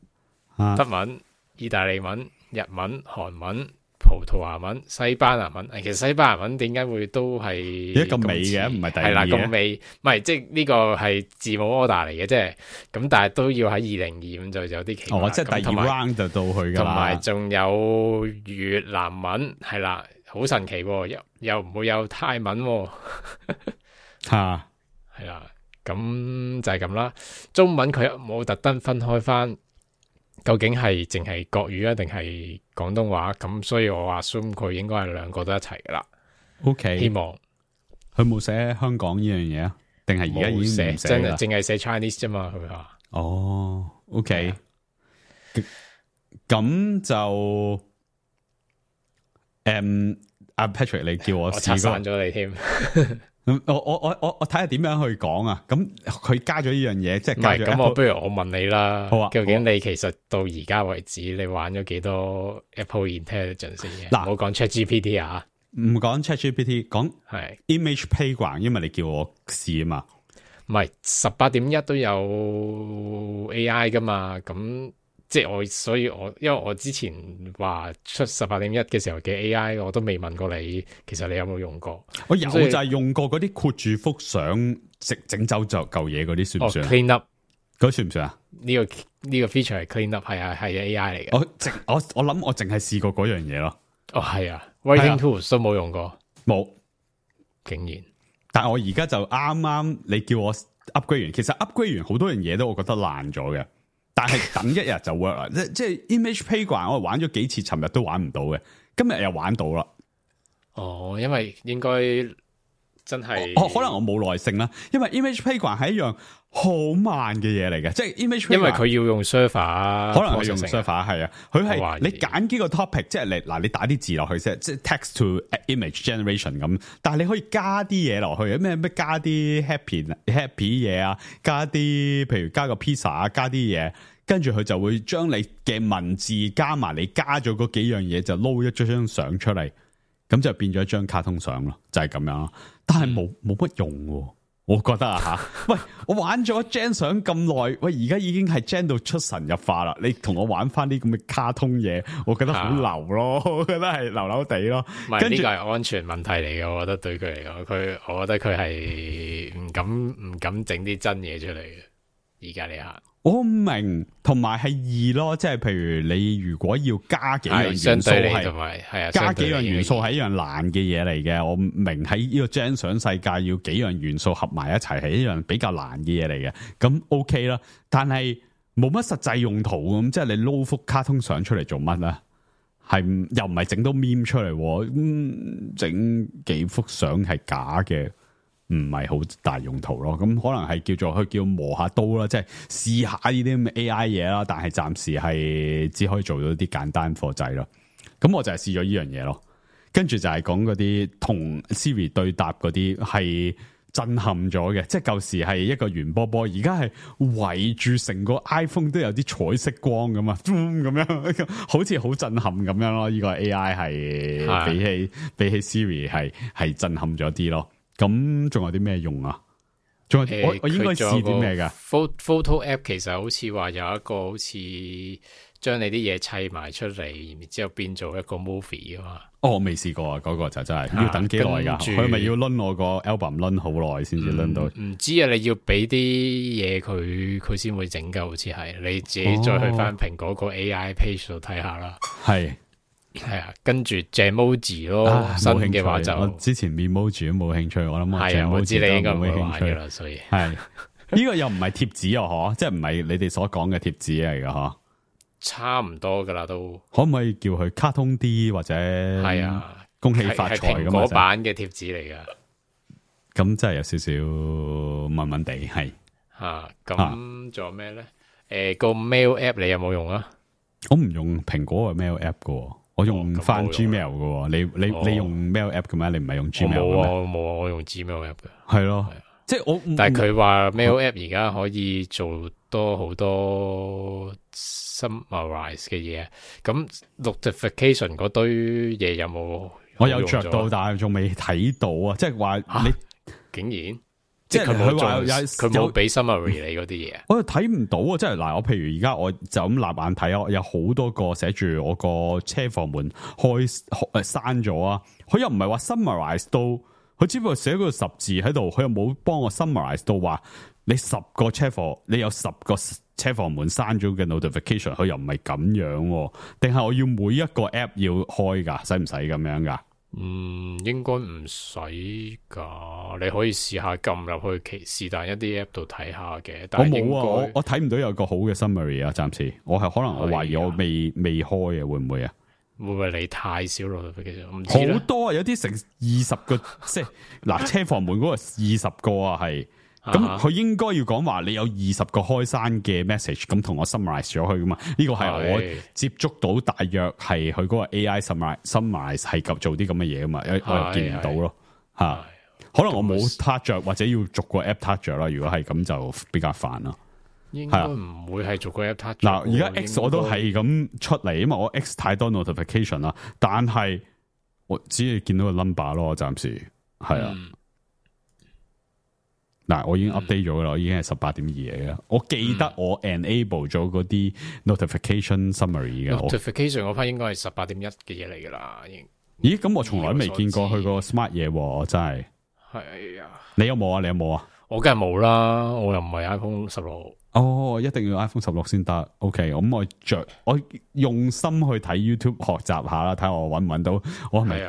德文、意大利文、日文、韓文、葡萄牙文、西班牙文。其實西班牙文點解會都係一咁尾嘅？唔係第二嘅。係啦，咁尾唔係即係呢個係字母 order 嚟嘅，即係咁，但係都要喺2025就有啲奇怪。即係第二 round 就到去㗎啦。同埋仲有越南文係啦，好神奇喎，又唔會有泰文喎。嚇，係啦，咁就係咁啦。中文佢冇特登分開翻。究竟係淨係國語啊，定係廣東話？咁所以我 assume 佢應該係兩個都一齊噶啦。OK， 希望佢冇寫香港呢樣嘢啊？定係而家已經唔寫啦？淨係寫 Chinese 啫嘛？佢話哦 ，OK，咁就阿 Patrick， 你叫我拆散咗你添。我睇下點樣去講啊？咁佢加咗呢樣嘢，即係加咗。咁我不如我問你啦。好啊。究竟你其實到而家為止，你玩咗幾多 Apple Intelligence 嘅？嗱，唔好講 ChatGPT 啊，唔講 ChatGPT， 講係 Image Playground，因為你叫我試啊嘛。唔係18.1都有 AI 噶嘛，咁即係所以因為我之前話出18.1嘅時候嘅 AI， 我都未問過你，其實你有冇用過？我有就係用過嗰啲括住幅相整走就嚿嘢嗰啲，算唔算？Clean up 嗰算唔算啊？呢個 feature 係 clean up 係 AI 嚟嘅。我諗我淨係試過嗰樣嘢咯。哦，係啊 ，Writing tools 都冇用過，冇，竟然。但係我而家就啱你叫我 upgrade 完，其實 upgrade 完好多樣嘢都我覺得爛咗嘅，但係等一日就 work 啦。即係 Image Playground 我玩咗幾次，尋日都玩唔到嘅，今日又玩到啦。哦，因為應該真係，可能我冇耐性啦，因為 Image Playground 係一樣好慢嘅嘢嚟嘅，即係 Image Playground 因為佢要用 server， 可能佢用 server 係啊，佢係你揀幾個 topic， 即係你打啲字落去先，即係 text to image generation 咁，但係你可以加啲嘢落去，咩加啲 happy 嘢啊，加啲譬如加個 pizza 啊，加啲嘢，跟住佢就會將你嘅文字加埋你加咗嗰幾樣嘢，就撈一張相出嚟，咁就變咗一張卡通相咯，就係咁樣咯。但係冇乜用喎。我覺得啊吓，喂，我玩咗 gen 相咁耐，喂，而家已經係 gen 到出神入化啦。你同我玩翻啲咁嘅卡通嘢，我覺得好流咯，我覺得係流流地咯。唔係呢個係安全問題嚟嘅，我覺得對佢嚟講，我覺得佢係唔敢整啲真嘢出嚟嘅。而家你下，我明，同埋係易咯，即係譬如你如果要加幾樣元素係加幾樣元素係一樣難嘅嘢嚟嘅，我明喺呢個 gen 相世界要幾樣元素合埋一齊係一樣比較難嘅嘢嚟嘅，咁 OK 啦。但係冇乜實際用途咁，即係你撈幅卡通相出嚟做乜咧？係又唔係整到 meme 出嚟，整幾幅相係假嘅。唔係好大用途咯，咁可能係佢叫磨下刀啦，即係試下呢啲咁嘅 AI 嘢啦，但係暫時係只可以做到啲簡單貨仔咯。咁我就係試咗呢樣嘢咯，跟住就係講嗰啲同 Siri 對答嗰啲係震撼咗嘅，即係舊時係一個圓波波，而家係圍住成個 iPhone 都有啲彩色光咁啊，咁樣好似好震撼咁樣咯。呢個 AI 係比起 Siri 係震撼咗啲咯。咁仲有啲咩用啊？仲有我應該試啲咩噶 ？Photo app 其實好似話有一個好似將你啲嘢砌埋出嚟，然之後變做一個 movie 噶嘛。哦，我未試過啊，嗰個就真係要等幾耐噶？佢咪要掄我個 album 掄好耐先至掄到？唔知啊，你要俾啲嘢佢先會整噶，好似係你自己再去翻蘋果個 AI page 度睇下啦。係。係啊，跟住 Jamoji 咯，新嘅話就我之前 Memoji 都冇興趣，我諗係啊，我知你應該唔會玩噶啦，所以係呢個又唔係貼紙啊，嗬，即係唔係你哋所講嘅貼紙嚟噶，嗬，差唔多噶啦都。可唔可以叫佢卡通啲或者係啊？恭喜發財咁蘋果版嘅貼紙嚟噶，咁真係有少少悶悶地係吓。咁仲有咩咧？個 Mail App 你有冇用啊？我唔用蘋果嘅 Mail App 噶。我用翻 Gmail 嘅，你用 Mail App 嘅咩？你唔係用 Gmail 嘅咩？冇啊，我用 Gmail App 嘅。係咯，即係我。但係佢話 Mail App 而家可以做多好多 summarize 嘅嘢，咁 notification 嗰堆嘢有冇？我有着到，但係仲未睇到啊！即係話你竟然。即係佢冇俾 summary 你嗰啲嘢，我又睇唔到啊！即係嗱，我譬如而家我就咁立眼睇啊，有好多個寫住我個車房門閂咗啊！佢又唔係話 summarize 到，佢只不過寫個10字喺度，佢又冇幫我 summarize 到話你10個車房，你有10個車房門閂咗嘅 notification， 佢又唔係咁樣，定係我要每一個 app 要開噶？使唔使咁樣噶？應該唔使噶，你可以試下撳入去是但一啲 app 度睇下嘅。但係我冇啊，我睇唔到有個好嘅 summary 啊，暫時我係可能我懷疑我未開啊，會唔會啊？會唔會你太少 notification？唔知好多啊，有啲成20個，即係嗱車房門嗰個20個啊，係。咁佢應該要講話你有20個開閂嘅 message， 咁同我 summarize 咗佢噶嘛？呢個係我接觸到大約係佢嗰個 AI summarize 係做啲咁嘅嘢噶嘛？我又見唔到咯吓，可能我冇 touch 着或者要逐個 app touch 着啦。如果係咁就比較煩啦。應該唔會係逐個 app touch。嗱，而家 X 我都係咁出嚟，因為我 X 太多 notification 啦。但係我只係見到個 number 咯，暫時係啊。嗱，我已經 update 咗啦，我已經係18.2嚟嘅。我記得我 enable 咗嗰啲 notification summary 嘅。notification 嗰 part 應該係18.1嘅嘢嚟噶啦，已經。咦？咁我從來未見過佢個 smart 嘢喎，我真係。係啊。你有冇啊？你有冇啊？我梗係冇啦，我又唔係 iPhone 16。哦，一定要 iPhone 16先得。OK， 咁我用心去睇 YouTube 學習下啦，睇下我搵唔搵到，我係咪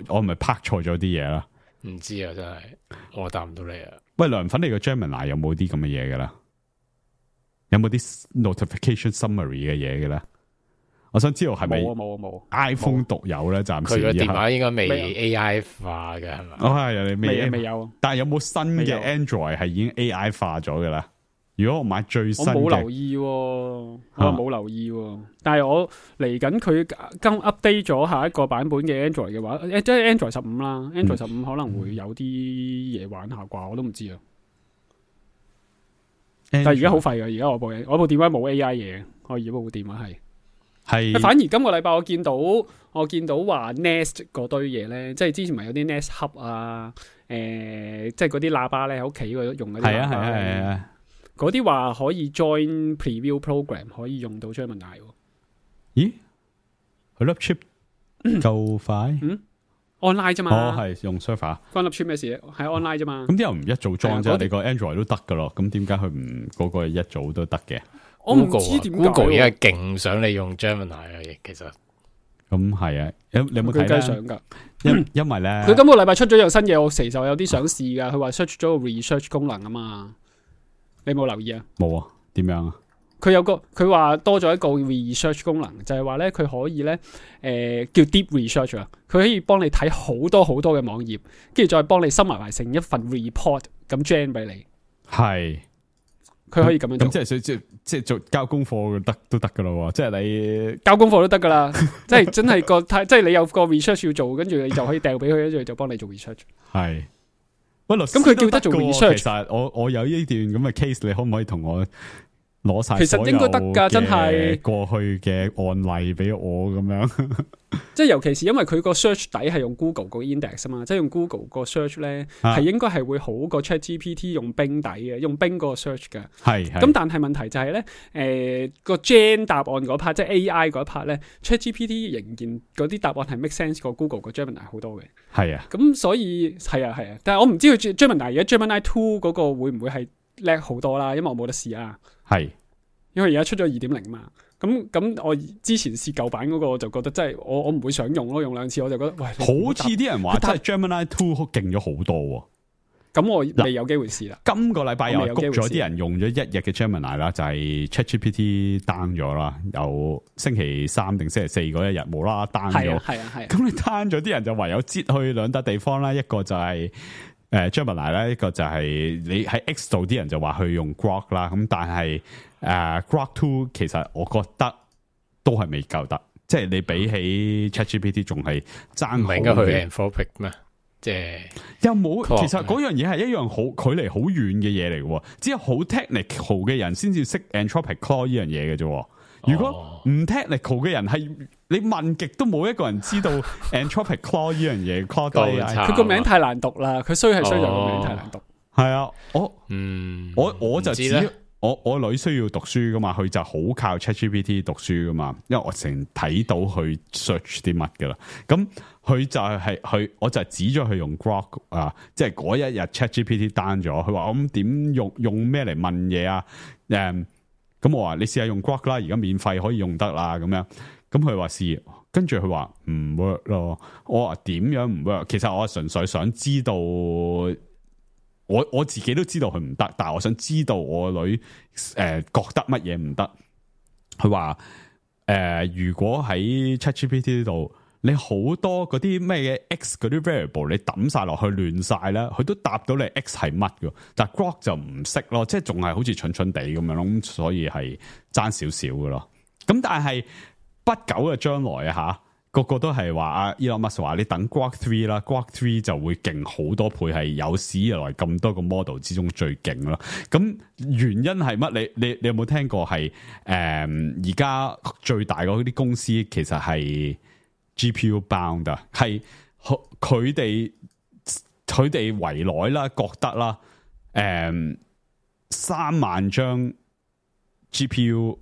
我係咪拍錯咗啲嘢啦？唔知啊，真係我答唔到你啊。喂，涼粉，你個 Gemini 有冇啲咁嘅嘢嘅啦？有冇啲 notification summary 嘅嘢嘅咧？我想知道係咪冇 iPhone 獨有咧？暫時佢個電話應該未 AI 化嘅係嘛？哦，係未有。但係有冇新嘅 Android 係已經 AI 化咗嘅啦？如果我買最新嘅，我冇留意，我冇留意。但係我嚟緊佢剛 update 咗下一個版本嘅 Android 嘅話，即係 Android 15啦。Android 15可能會有啲嘢玩下啩，我都唔知啊。但係而家好廢㗎，而家我部電話冇 AI 嘢，我而家部電話係。反而今個禮拜我見到話 Nest 嗰堆嘢咧，即係之前咪有啲 Nest Hub 啊，即係嗰啲喇叭咧喺屋企嗰度用嗰啲喇叭咧。係啊。嗰啲話可以 join preview program， 可以用到 Gemini。咦？佢粒 chip 夠快？online 啫嘛。哦，係用 server。關粒 chip 咩事？係 online 啫嘛。咁啲人唔一早裝啫，你個 Android 都得噶咯。咁點解佢唔嗰個一早都得嘅？我唔知點解。Google 而家勁想你用 Gemini 啊，其實。咁係啊，你有冇睇想因為咧，佢今個禮拜出咗樣新嘢，我其實有啲想試噶。佢話 search 咗個 research 功能啊嘛。你有冇留意啊？冇啊，點樣啊？佢話多咗一個 research 功能，就係話咧佢可以咧叫 deep research 啊，佢可以幫你睇好多好多嘅網頁，跟住再幫你收埋成一份 report 咁 gen 俾你。係，佢可以咁樣做。咁即係做交功課都得噶咯，即係你交功課都得噶啦，即係真係即係你有個 research 要做，跟住你就可以掉俾佢，跟住就幫你做 research。係。咁佢叫得做 research， 其實我有呢段咁嘅 case， 你可唔可以同我攞晒？其實應該得噶，真係過去嘅案例俾我咁樣。即係尤其是因為佢個 search 底係用 Google 個 index 啊嘛，即係用 Google 個 search 咧係應該係會好過 ChatGPT 用 Bing 底嘅，用 Bing 個 search 嘅。係。咁但係問題就係咧，個 gen 答案嗰 part， 即係 AI 嗰 part 咧 ，ChatGPT 仍然嗰啲答案係 make sense 過 Google 個 Gemini 好多嘅。係啊。咁所以係啊，但係我唔知佢 Gemini 而家 Gemini 2嗰個會唔會係叻好多啦？因為我冇得試啊。係。因為而家出咗 2.0 嘛。咁我之前試舊版嗰個，我就覺得真係我唔會想用咯，用2次我就覺得喂，好似啲人話真係 Gemini 2好勁咗好多。咁我未有機會試啦。今個禮拜又谷咗啲人用咗1日嘅 Gemini 啦，就係 ChatGPT down 咗啦，由星期3定星期4嗰一日無啦啦 down 咗。係啊。咁你 down 咗啲人就唯有擠去2笪地方啦，一個就係Gemini 啦，一個就係你喺 X 度啲人就話去用 Grok 啦，咁但係Grok 2其實我覺得都係未夠得，即係你比起 ChatGPT 仲係爭好嘅。唔係應該去 Anthropic 咩？即係有冇？其實嗰樣嘢係一樣好距離好遠嘅嘢嚟嘅，只有好 technical 嘅人先至識 Anthropic Claude 呢樣嘢嘅啫。如果唔 technical 嘅人係你問極都冇一個人知道 Anthropic Claude 呢樣嘢。佢個名太難讀啦，佢衰在個名太難讀。係啊，我就知我女需要讀書噶嘛，佢就好靠 ChatGPT 讀書噶嘛，因為我成日睇到佢 search 啲乜噶啦。咁佢就係我就指咗佢用 Grok 啊，即係嗰一日 ChatGPT down 咗，佢話我咁點用咩嚟問嘢啊？咁我話你試下用 Grok 啦，而家免費可以用得啦，咁樣。咁佢話試，跟住佢話唔 work 咯。我話點樣唔 work？其實我純粹想知道，我自己都知道佢唔得，但係我想知道我女覺得乜嘢唔得。佢話如果喺 ChatGPT 度，你好多嗰啲咩嘅 X 嗰啲 variable 你抌晒落去亂晒啦，佢都答到你 X 係乜嘅，但係 Grok 就唔識咯，即係仲係好似蠢蠢地咁樣咯，咁所以係爭少少嘅咯。咁但係不久嘅將來啊吓，個個都係話阿 Elon Musk 話你等 Grok 3啦，Grok 3就會勁好多倍，係有史以來咁多個 model 之中最勁咯。咁原因係乜？你有冇聽過係而家最大嗰啲公司其實係 GPU bound 啊，係佢哋圍內啦，覺得啦， 3萬張 GPU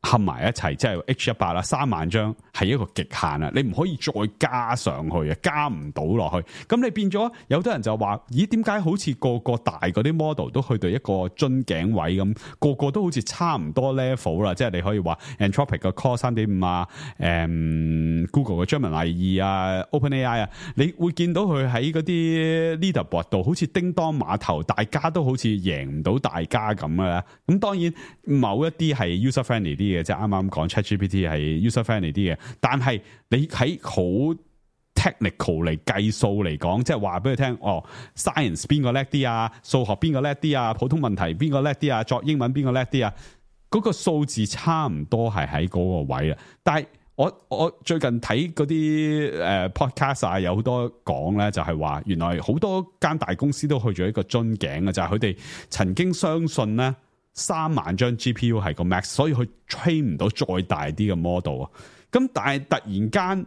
合埋一齊，即係 H100 啦，3萬張係一個極限啊！你唔可以再加上去啊，加唔到落去。咁你變咗有啲人就話：咦，點解好似個個大嗰啲 model 都去到一個樽頸位咁，個個都好似差唔多 level 啦？即係你可以話 Anthropic 嘅 Core 3.5啊，Google 嘅 Gemini 2啊 ，OpenAI 啊，你會見到佢喺嗰啲 leaderboard 度好似叮當碼頭，大家都好似贏唔到大家咁啊！咁當然某一啲係 user friendly 啲。即係啱啱講 ChatGPT 係 user friendly 啲嘅，但係你喺好 technical 嚟計數嚟講，即係話俾佢聽，哦 ，science 邊個叻啲啊，數學邊個叻啲啊，普通問題邊個叻啲啊，作英文邊個叻啲啊，嗰個數字差唔多係喺嗰個位啊。但係我最近睇嗰啲podcast 啊，有好多講咧，就係話原來好多間大公司都去咗一個樽頸嘅，就係佢哋曾經相信咧。3萬張 GPU 係個 max， 所以佢 train 唔到再大啲嘅 model 啊。咁但係突然間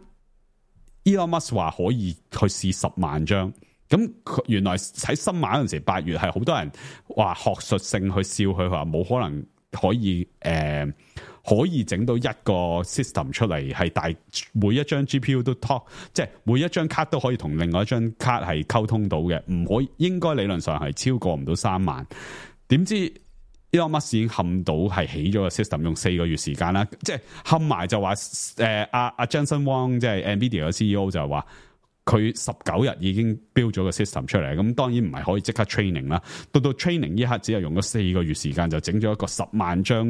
Elon Musk 話可以去試10萬張，咁原來喺新馬嗰陣時8月係好多人話學術性去笑佢，話冇可能可以整到一個 system 出嚟係大每一張 GPU 都 talk， 即係每一張卡都可以同另外一張卡係溝通到嘅，唔可以應該理論上係超過唔到3萬。點知Elon Musk已經冚到係起咗個 system， 用4個月時間啦，即係冚埋就話阿 Jensen Huang 即係 Nvidia 嘅 CEO 就話佢19日已經 build 咗個 system 出嚟，咁當然唔係可以即刻 training 啦，到 training 呢刻只係用咗4個月時間就整咗一個10萬張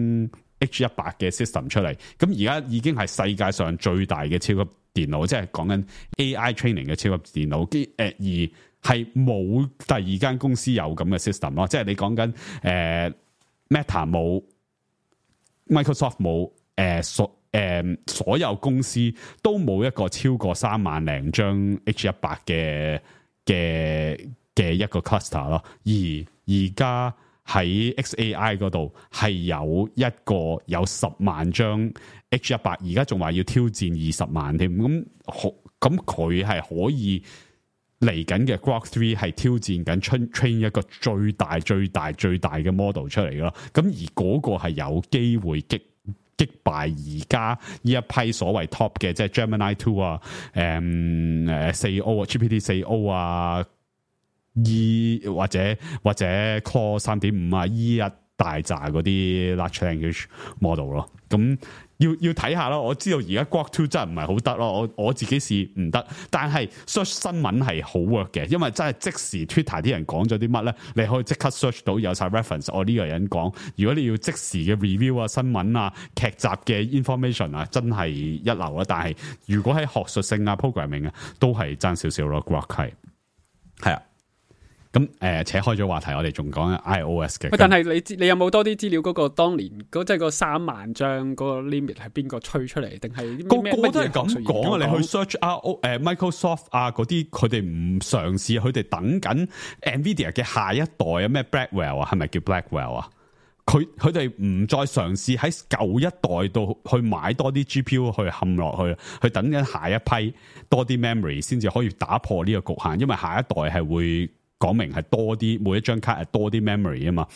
H100 嘅 system 出嚟，咁而家已經係世界上最大嘅超級電腦，即係講緊 AI training 嘅超級電腦，而係冇第二間公司有咁嘅 system 咯，即係你講緊Meta 冇 ，Microsoft 冇，所有公司都冇一個超過3萬零張 H100 嘅一個 cluster 咯。而家喺 XAI 嗰度係有一個有10萬張 H100，而家仲話要挑戰20萬添。咁佢係可以。嚟緊嘅 Grok 3係挑戰緊 train 一個最大嘅 model 出嚟咯，咁而嗰個係有機會擊敗而家呢一批所謂 top 嘅，即係 Gemini 2啊、4O 啊、GPT 4O 啊、或者 Core 3.5啊、E1大扎嗰啲 large language model 咯，咁。要睇下咯，我知道而家 Grok 2真係唔係好得咯，我自己試唔得，但係 search 新聞係好 work 嘅，因為真係即時 Twitter 啲人講咗啲乜咧，你可以即刻 search 到有晒 reference， 我呢個人講。如果你要即時嘅 review 啊、新聞啊、劇集嘅 information 啊，真係一流啦。但係如果喺學術性啊、programming 啊，都係爭少少咯。Grok 係啊。咁扯開咗話題，我哋仲講 iOS 嘅。但係你有冇多啲資料？嗰個當年即係個3萬張嗰個 limit 係邊個吹出嚟？定係個個都係咁講啊！你去 search Microsoft 啊嗰啲，佢哋唔嘗試，佢哋等緊 Nvidia 嘅下一代啊，咩 Blackwell 啊，係咪叫 Blackwell 啊？佢哋唔再嘗試喺舊一代度去買多啲 GPU 去冚落去等緊下一批多啲 memory 先至可以打破呢個局限，因為下一代係會。講明係多啲，每一張卡係多啲 memory 啊嘛。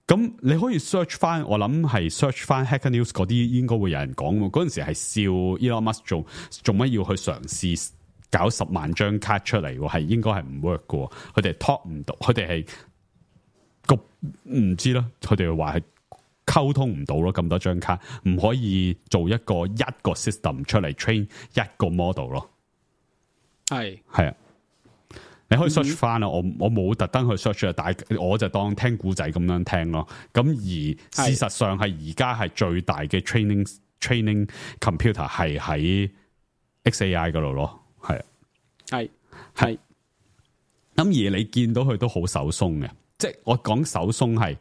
咁你可以 search 翻，我諗係 search 翻 Hacker News 嗰啲，應該會有人講。嗰陣時係笑 Elon Musk 做乜要去嘗試搞10萬張卡出嚟？係應該係唔 work 嘅。佢哋 talk 唔到，佢哋係個唔知啦。佢哋話係溝通唔到咯，咁多張卡唔可以做一個 system 出嚟 train 一個 model 咯。係啊。你可以 search 翻啦，我冇特登去 search 啊，但係我就當聽故仔咁樣聽咯。咁而事實上係而家係最大嘅 training computer 係喺 XAI 嗰度咯，係啊，係。咁而你見到佢都好手鬆嘅，即係我講手鬆係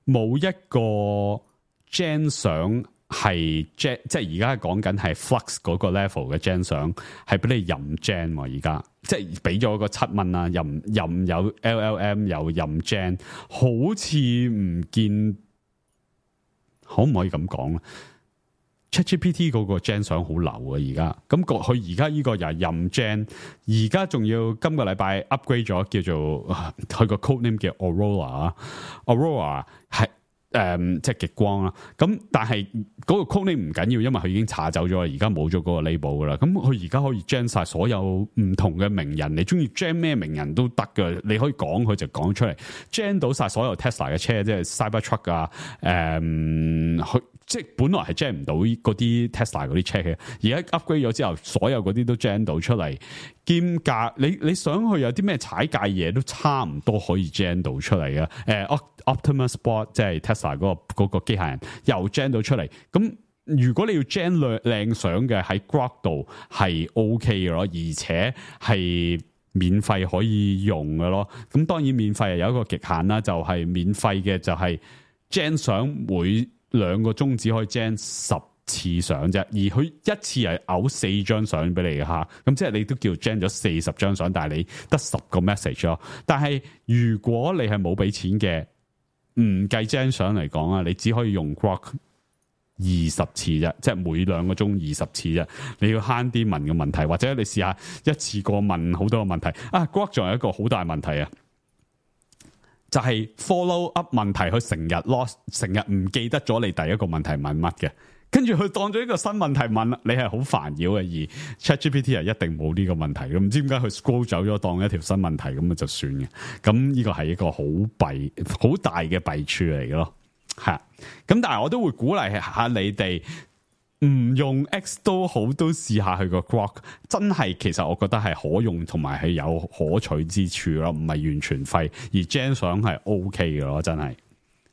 冇一個 gen 相。係 gen 即係而家講緊係 Flux 嗰個 level 嘅 gen 相，係俾你任 gen 而家，即係俾咗個7蚊啦，任有 LLM 有任 gen， 好似唔見，可唔可以咁講咧？ ChatGPT 嗰個 gen 相好流啊，而家咁佢而家呢個又係任 gen， 而家仲要今個禮拜 upgrade 咗，叫做佢個 code name 叫 Aurora 係即係極光啦。咁但係嗰個 code name 唔緊要，因為佢已經查走咗，而家冇咗嗰個 label 噶啦。咁佢而家可以 gen 晒所有唔同嘅名人，你中意 gen 咩名人都得噶，你可以講佢就講出嚟 gen 到晒所有 Tesla 嘅車，即係 Cybertruck 啊，即係本來係 gen 唔到嗰啲 Tesla 嗰啲車嘅，而家 upgrade 咗之後，所有嗰啲都 gen 到出嚟，兼夾你想去有啲咩踩界嘢都差唔多可以 gen 到出嚟嘅。Optimus Bot 即係 Tesla 嗰個機械人又 gen 到出嚟。咁如果你要 gen 靚相嘅喺 Grok 度係 OK 嘅咯，而且係免費可以用嘅咯。咁當然免費係有一個極限啦，就係免費嘅就係 gen 相每2個鐘只可以 gen 10次相啫，而佢一次係嘔4張相俾你嘅吓，咁即係你都叫 gen 咗40張相，但係你得10個 message 咯。但係如果你係冇俾錢嘅，唔計 gen 相嚟講啊，你只可以用 Grok 20次啫，即係每2個鐘20次啫。你要慳啲問嘅問題，或者你試下一次過問好多個問題啊。Grok 仲有一個好大問題啊，就係 follow up 問題，佢成日 lost， 成日唔記得咗你第一個問題問乜嘅，跟住佢當咗一個新問題問，你係好煩擾嘅。而 ChatGPT 係一定冇呢個問題嘅，唔知點解佢 scroll 走咗當一條新問題咁就算嘅。咁呢個係一個好大嘅弊處嚟嘅咯，係。咁但係我都會鼓勵下你哋，唔用 X 都好，都試下佢個 Grok， 真係其實我覺得係可用同埋係有可取之處咯，唔係完全廢。而 gen 相係 OK 嘅咯，真係。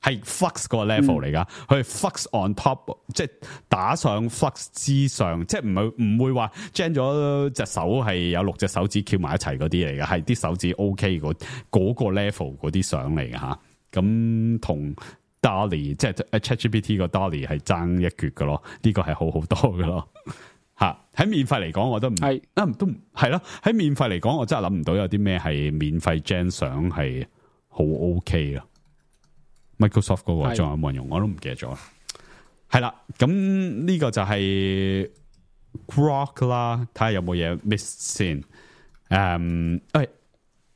係 Flux 個 level 嚟噶，佢係 Flux on top， 即係打上 Flux 之上，即係唔會話 gen 咗隻手係有6隻手指翹埋一齊嗰啲嚟嘅，係啲手指 OK 嗰個 level 嗰啲相嚟嘅吓。咁同 DALL-E 即係 ChatGPT 個 DALL-E 係爭一橛嘅咯，呢個係好好多嘅咯吓。喺免費嚟講，我都唔係都係咯。喺免費嚟講，我真係諗唔到有啲咩係免費 gen 相係好 OK 啊。Microsoft 嗰個仲有冇人用？我都唔記得咗。係啦，咁呢個就係 Grok 啦，睇下有冇嘢 miss 先。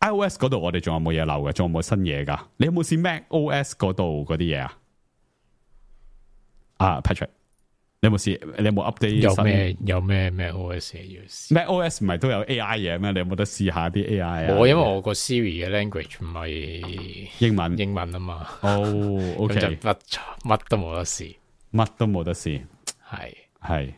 iOS 嗰度我哋仲有冇嘢漏嘅？仲有冇新嘢噶？你有冇試 macOS 嗰度嗰啲嘢啊？啊 ，Patrick， 你有冇試？你有冇 update？有咩 macOS 要試？macOS 唔係都有 AI 嘢咩？你有冇得試下啲 AI 啊？我因為我個 Siri 嘅 language 唔係英文啊嘛。哦，OK，就乜都冇得試，乜都冇得試。係。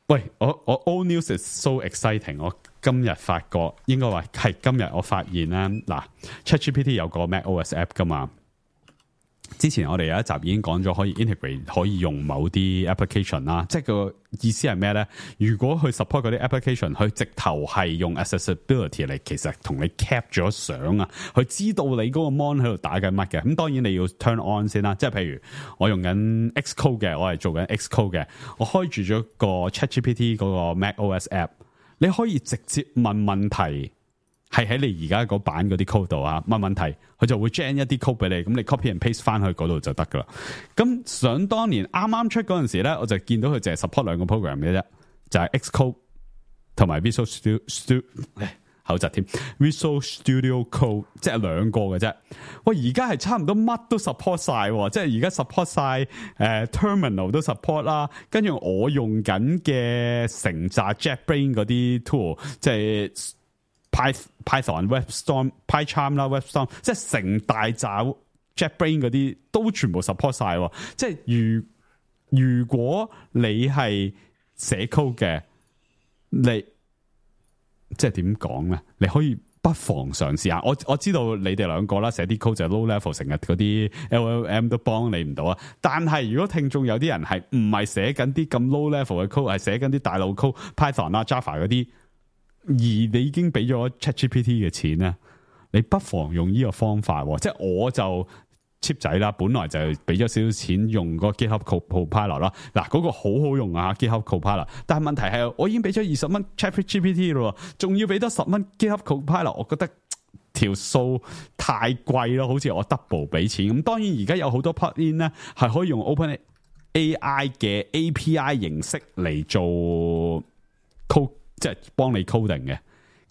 喂，我 All News is so exciting！ 我今日發覺，應該話係今日我發現啦。嗱 ，ChatGPT 有個 macOS app 噶嘛。之前我哋有一集已經講咗可以 integrate 可以用某啲 application 啦，即係個意思係咩咧？如果佢 support 嗰啲 application，佢直頭係用 accessibility 嚟，其實同你 cap 咗相啊，佢知道你嗰個 mon 喺度打緊乜嘅。咁當然你要 turn on 先啦，即係譬如我用緊 Xcode 嘅，我係做緊 Xcode 嘅，我開住咗個 ChatGPT 嗰個 macOS app， 你可以直接問問題。係喺你而家嗰版嗰啲 code 度啊，問問題，佢就會 gen 一啲 code 俾你，咁你 copy and paste 翻去嗰度就得噶啦。咁想當年啱啱出嗰陣時咧，我就見到佢淨係 support 2個 program 嘅啫，就係 Xcode 同埋 Visual Studio 口窒添 Visual Studio Code， 即係2個嘅啫。喂，而家係差唔多乜都 support 晒，即係而家 support 晒Terminal 都 support 啦。跟住我用緊嘅成扎 JetBrains 嗰啲 tool， 即係。Python、WebStorm、PyCharm 啦、WebStorm， 即係成大扎 JetBrains 嗰啲都全部 support 晒。即係如果你係寫 code 嘅，你即係點講咧？你可以不妨嘗試下。我知道你哋2個啦，寫啲 code 就 low level， 成日嗰啲 LLM 都幫你唔到啊。但係如果聽眾有啲人係唔係寫緊啲咁 low level 嘅 code， 係寫緊啲大路 code、Python 啦、Java 嗰啲。而你已經俾咗 ChatGPT 嘅錢咧，你不妨用呢個方法。即係我就 cheap 仔啦，本來就俾咗少少錢用個 GitHub Copilot 啦。嗱，嗰個好好用啊 GitHub Copilot， 但係問題係我已經俾咗20蚊 ChatGPT 咯，仲要俾多10蚊 GitHub Copilot， 我覺得條數太貴咯，好似我 double 俾錢。咁當然而家有好多 plugin 咧係可以用 AI 嘅 API 形式嚟做 code， 即係幫你 coding 嘅。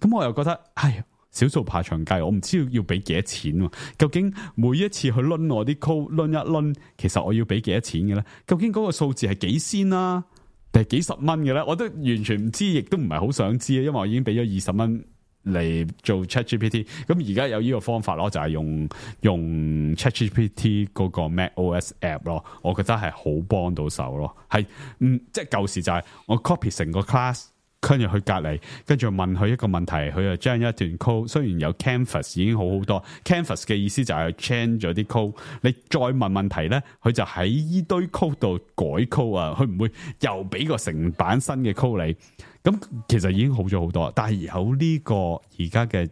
咁我又覺得，唉，小數怕長計，我唔知要俾幾多錢喎。究竟每一次去掄我啲 code 掄一掄，其實我要俾幾多錢嘅咧？究竟嗰個數字係幾仙啦，定係幾十蚊嘅咧？我都完全唔知，亦都唔係好想知啊，因為我已經俾咗20蚊嚟做 ChatGPT。咁而家有呢個方法咯，就係用 ChatGPT 嗰個 macOS app 咯，我覺得係好幫到手咯。係即係舊時就係我 copy 成個 class。跟住去隔離，跟住問佢一個問題，佢就將一段 code， 雖然有 canvas 已經好好多 ，canvas 嘅意思就係 change 咗啲 code， 你再問問題咧，佢就喺依堆 code 度改 code 啊，佢唔會又俾個成版新嘅 code 你，咁其實已經好咗好多。但係有呢個而家嘅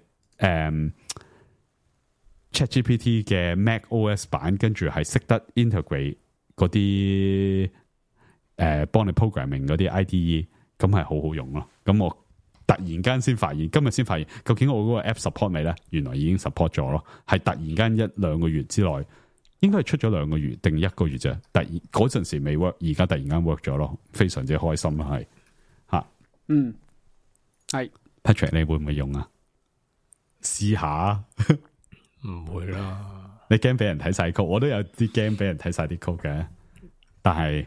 ChatGPT 嘅 macOS 版，跟住係識得 integrate 嗰啲幫你 programming 嗰啲 IDE。咁係好好用咯，咁我突然間先發現，今日先發現，究竟我嗰個 app support 未咧？原來已經 support 咗咯，係突然間1-2個月之內，應該係出咗2個月定1個月啫。突然嗰陣時未 work，而家突然間 work 咗咯，非常之開心啦，係吓，係 Patrick， 你會唔會用啊？試下，唔會啦。你驚俾人睇晒 code， 我都有啲驚俾人睇晒啲 code 嘅，但係。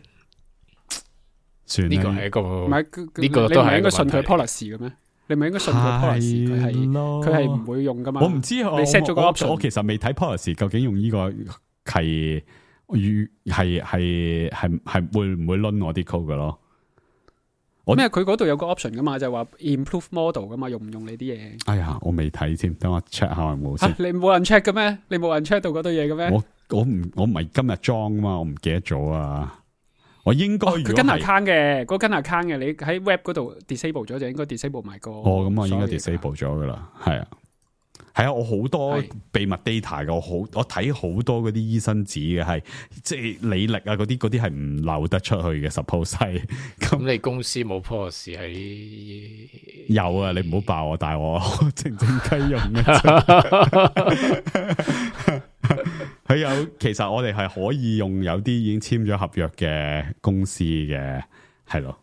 呢個係一個，唔係呢個都係應該信佢 policy 嘅咩？你咪應該信佢 policy， 佢係唔會用噶嘛？我唔知，你 set 咗個 option， 我其實未睇 policy， 究竟用呢個係會唔會掄我啲 code 嘅咯？咩？佢嗰度有個 option 噶嘛，就係話 improve model 噶嘛，用唔用你啲嘢？哎呀，我未睇添，等我 check 下有冇先。你冇人 check 嘅咩？你冇人 check 到嗰堆嘢嘅咩？我唔係今日裝啊嘛，我唔記得咗啊。我應該佢跟 account 嘅，嗰跟 account 嘅，你喺 web 嗰度 disable 咗就應該 disable 埋個。咁我應該 disable 咗噶啦，係啊，我好多秘密 data 嘅，我睇好多嗰啲醫生紙嘅，係即係履歷啊嗰啲係唔漏得出去嘅 suppose 係。咁你公司冇 policy 係？有啊，你唔好爆我大鑊，靜靜雞用嘅。佢有，其實我哋係可以用有啲已經簽咗合約嘅公司嘅，係咯，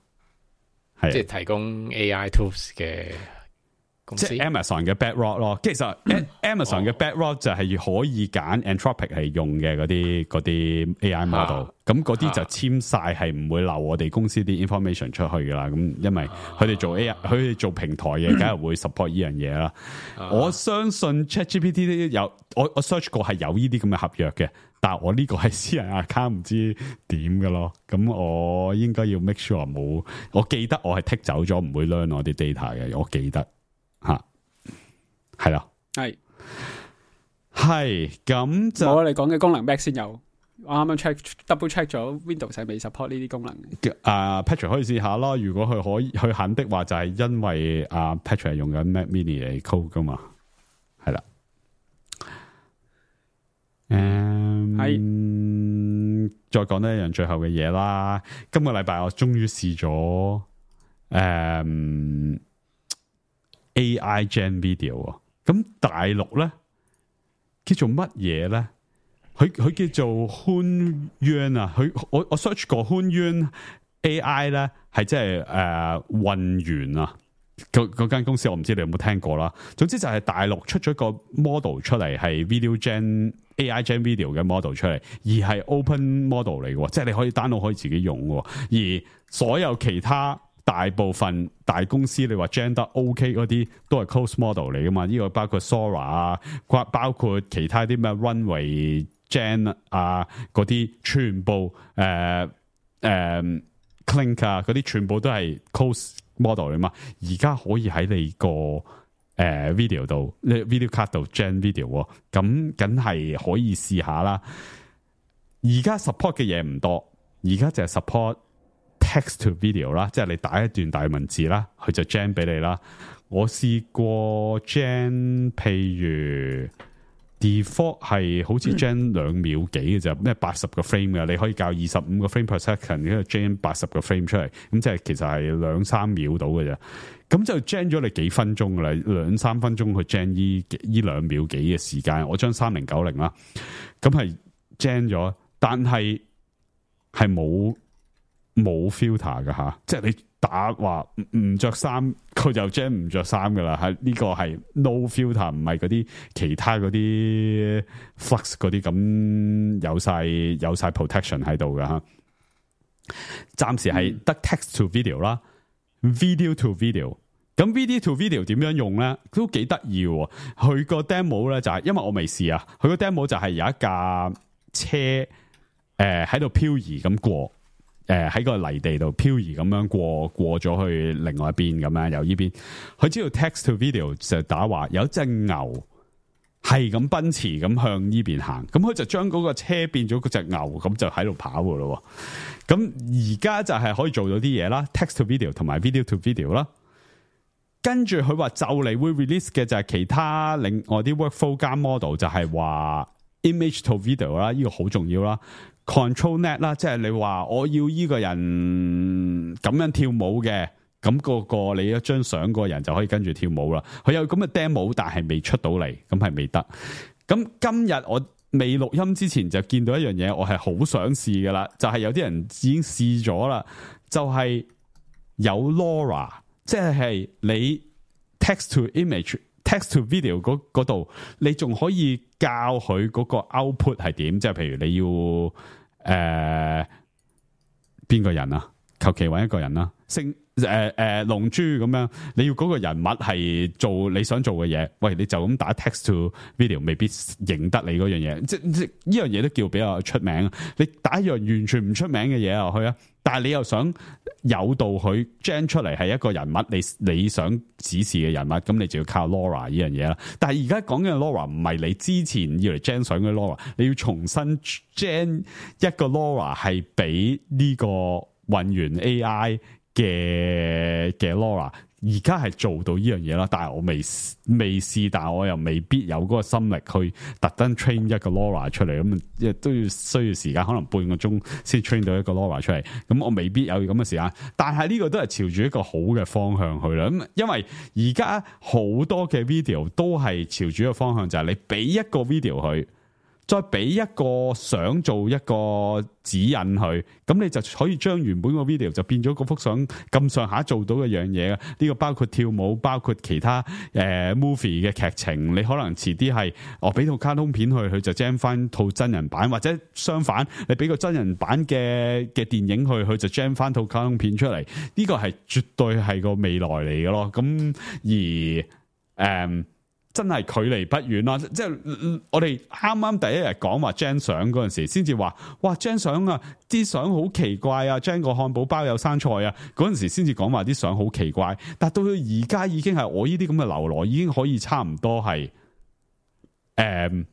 係即係提供 AI tools 嘅公司，即係 Amazon 嘅 Bedrock 咯。其實 Amazon 嘅 Bedrock 就係可以揀 Anthropic 係用嘅嗰啲 AI model，咁嗰啲就簽晒係唔會漏我哋公司啲 information 出去噶啦。咁因為佢哋做 AI，佢哋做平台嘅，梗係會 support 呢樣嘢啦。我相信 ChatGPT 有，我 search 過係有呢啲咁嘅合約嘅，但係我呢個係私人 account 唔知點嘅咯。咁我應該要 make sure 冇，我記得我係剔走咗，唔會 learn 我啲 data 嘅。我記得吓，係啦，係咁就我哋講嘅功能 Mac 先有。我啱啱 double check 咗 Windows 係未 support 呢啲功能嘅。Patrick 可以試下咯，如果佢可以去肯的話，就係因為Patrick 係用緊 Mac Mini 嚟 code 噶嘛，係啦。再講多一樣最後嘅嘢啦。今個禮拜我終於試咗AI Gen Video， 咁大陸咧叫做乜嘢咧？佢叫做 Hunyuan 啊，我 search 過 Hunyuan AI 咧，係即係混元啊，嗰間公司我唔知你有冇聽過啦。總之就係大陸出咗個 model 出嚟，係 Video Gen AI Gen Video 嘅 model 出嚟，而係 open model 嚟嘅，即係你可以 download 可以自己用嘅。而所有其他大部分大公司你話 gen 得 OK 嗰啲都係 close model 嚟噶嘛？呢個包括 Sora 啊，包括其他啲咩 Runway Gen 啊嗰啲，全部Clink 啊嗰啲，全部都係 close model 嚟嘛。而家可以喺你個video 度，video card 度 gen video， 咁梗係可以試下啦。而家 support 嘅嘢唔多，而家就係 support text to video 啦，即係你打一段大文字啦，佢就 gen 俾你啦。我試過 gen， 譬如 default 係好似 gen 2秒幾嘅啫，咩80個 frame 嘅，你可以校25個 frame per second， 跟住 gen 80個 frame 出嚟，咁即係其實係2-3秒到嘅啫。咁就 gen 咗你幾分鐘噶啦，2-3分鐘去 gen 呢2秒幾嘅時間。我將3090啦，咁係 gen 咗，但係係冇 filter 噶吓，即係你打話唔着衫，佢就 gen 唔着衫噶啦。係呢個係 no filter，唔係嗰啲其他嗰啲 flux 嗰啲咁有晒 protection 喺度噶吓。暫時係得 text to video 啦，video to video。咁 video to video 點樣用咧？都幾得意喎。佢個 demo 咧就係，因為我未試啊，佢個 demo 就係有一架車喺度漂移咁過。喺個泥地度漂移咁樣過咗去另外一邊咁樣，由呢邊佢知道 text to video 就打話有一隻牛係咁奔馳咁向呢邊行，咁佢就將嗰個車變咗嗰隻牛，咁就喺度跑噶咯。咁而家就係可以做到啲嘢啦 ，text to video 同埋 video to video 啦。跟住佢話就嚟會 release 嘅就係其他另外啲 workflow 加 model， 就係話 image to video 啦，呢個好重要啦。control net 啦，即係你話我要呢個人咁樣跳舞嘅，咁個你一張相個人就可以跟住跳舞啦。佢有咁嘅 demo， 但係未出到嚟，咁係未得。咁今日我未錄音之前就見到一樣嘢，我係好想試噶啦，就係有啲人已經試咗啦，就係有 LoRa， 即係你 text to image。text to video 嗰度，你仲可以教佢嗰個 output 係點？即係譬如你要邊個人啊？求其揾一個人啦，龍珠咁樣，你要嗰個人物係做你想做嘅嘢，喂，你就咁打 text to video， 未必認得你嗰樣嘢。即呢樣嘢都叫比較出名。你打一樣完全唔出名嘅嘢落去啊，但係你又想誘導佢 gen 出嚟係一個人物，你想指示嘅人物，咁你就要靠 LoRa 呢樣嘢啦。但係而家講緊嘅 LoRa 唔係你之前要嚟 gen 相嘅 LoRa， 你要重新 gen 一個 LoRa 係俾呢個混元 AI 嘅 LoRa， 而家係做到呢樣嘢啦，但係我未試，但係我又未必有嗰個心力去特登 train 一個 LoRa 出嚟，咁亦都要需要時間，可能半個鐘先 train 到一個 LoRa 出嚟，咁我未必有咁嘅時間。但係呢個都係朝住一個好嘅方向去啦，咁因為而家好多嘅 video 都係朝住一個方向，就係你俾一個 video 佢。再俾一個相做一個指引佢，咁你就可以將原本個 video 就變咗嗰幅相咁上下做到嘅樣嘢。呢個包括跳舞，包括其他movie 嘅劇情。你可能遲啲係我俾套卡通片佢就 gen 翻套真人版，或者相反，你俾個真人版嘅電影佢就 gen 翻套卡通片出嚟。呢個係絕對係個未來嚟嘅咯。咁而真係距離不遠啦，即係我哋啱啱第一日講話 gen 相嗰陣時，先至話哇 gen 相啊，啲相好奇怪啊 ，gen 個漢堡包有生菜啊，嗰陣時先至講話啲相好奇怪，但到而家已經係我呢啲咁嘅流羅已經可以差唔多係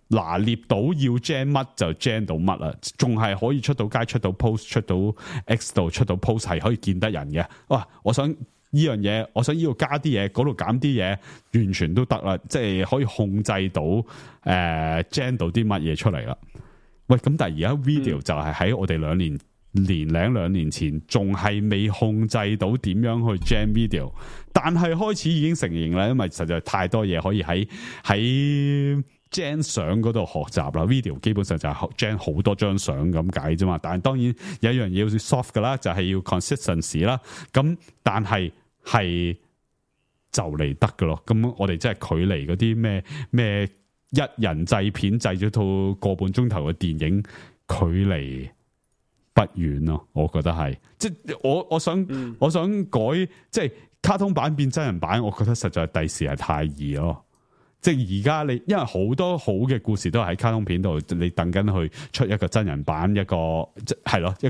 拿捏到要 gen 乜就 gen 到乜啦，仲係可以出到街、出到 post、出到 X 度、出到 post 係可以見得人嘅。哇！我想呢樣嘢，我想呢度加啲嘢，嗰度減啲嘢，完全都得啦，即係可以控制到gen 到啲乜嘢出嚟啦。喂，咁但係而家 video 就係喺我哋兩年前仲係未控制到點樣去 gen video， 但係開始已經成型啦，因為實在太多嘢可以喺gen 相嗰度學習啦。video 基本上就係 gen 好多張相咁解啫嘛，但係當然有一樣嘢要 soft 噶啦，就係要 consistency 啦。咁但係就嚟得噶咯。咁我哋真係距離嗰啲咩一人製片製咗套個半鐘頭嘅電影，距離不遠咯。我覺得係，即係我想改，即係卡通版變真人版，我覺得實在第時係太易咯。即係而家你，因為好多好嘅故事都係喺卡通片度，你等緊去出一個真人版，一個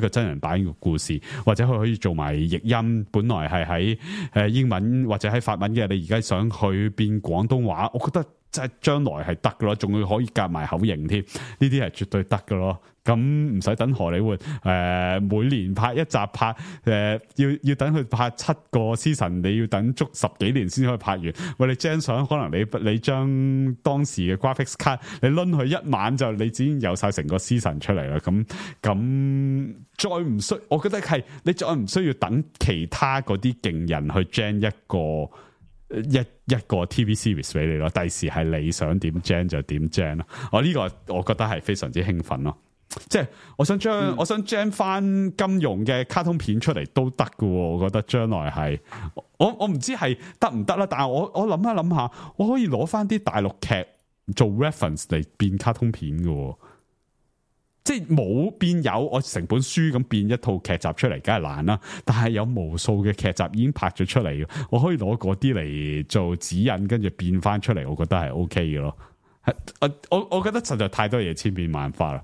真人版嘅故事，或者佢可以做埋譯音，本來係喺英文或者喺法文嘅，你而家想去變廣東話，我覺得即係將來係得噶咯，仲要可以夾埋口型添，呢啲係絕對得噶咯。咁唔使等荷里活每年拍一集要等佢拍7個 season， 你要等足10幾年先可以拍完。喂，你 gen 相可能你將當時嘅 graphics card 你掄佢一晚就你已經有晒成個 season 出嚟啦。咁再唔需，我覺得係你再唔需要等其他嗰啲勁人去 gen 一個 TV series 俾你咯。第時係你想點 gen 就點 gen 咯。呢個我覺得係非常之興奮咯。即係我想 gen 翻金庸嘅卡通片出嚟都得㗎，我覺得將來係我唔知係得唔得啦，但係我諗一諗下，我可以攞翻啲大陸劇做 reference 嚟變卡通片㗎，即係冇變有我成本書咁變一套劇集出嚟，梗係難啦。但係有無數嘅劇集已經拍咗出嚟，我可以攞嗰啲嚟做指引，跟住變翻出嚟，我覺得係 OK 嘅咯。我覺得實在太多嘢千變萬化啦。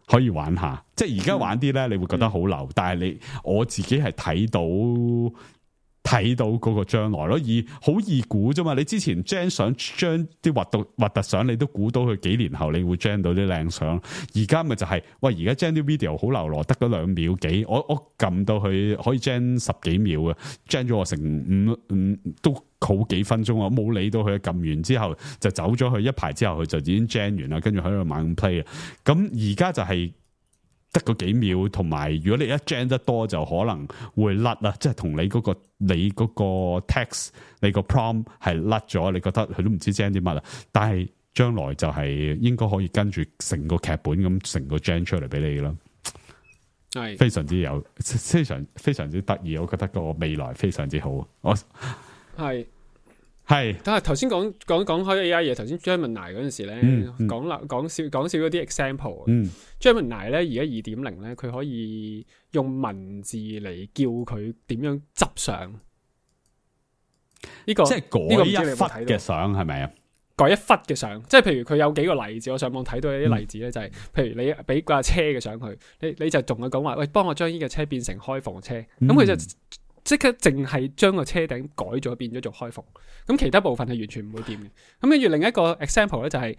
可以玩下，即係而家玩啲咧，你會覺得好流，但係我自己係睇到嗰個將來咯，好易估啫嘛。你之前 gen 相將啲核突相，你都估到佢幾年後你會 gen 到啲靚相。而家咪就係、是，喂，而家 gen 啲 video 好流羅，得嗰2秒幾，我撳到佢可以 gen 10幾秒嘅 gen 咗我成5都好幾分鐘啊！我冇理到佢，撳完之後就走咗去，一排之後佢就已經 gen 完啦，跟住喺度猛 play 啊！咁而家就係得嗰幾秒，同埋如果你一 gen 得多，就可能會甩啦，即係同你嗰個 text 你個 prompt 係甩咗，你覺得佢都唔知 gen 啲乜啦。但係將來就係應該可以跟住成個劇本咁成個 gen 出嚟俾你啦。係非常之有，非常之得意，我覺得個未來非常之好。我係，但係頭先講開 AI 嘢，頭先 Gemini 嗰陣時咧，講少嗰啲 example。Gemini 咧而家2.0咧，佢可以用文字嚟叫佢點樣執相。呢個即係改一忽嘅相係咪啊？改一忽嘅相，即係譬如佢有幾個例子，我上網睇到有啲例子咧，就係譬如你俾架車嘅相佢，你就同佢講話，喂，幫我將呢個車變成開篷車，咁佢就即刻淨係將個車頂改咗變咗做開篷，咁其他部分係完全唔會掂嘅。咁跟住另一個 example 咧就係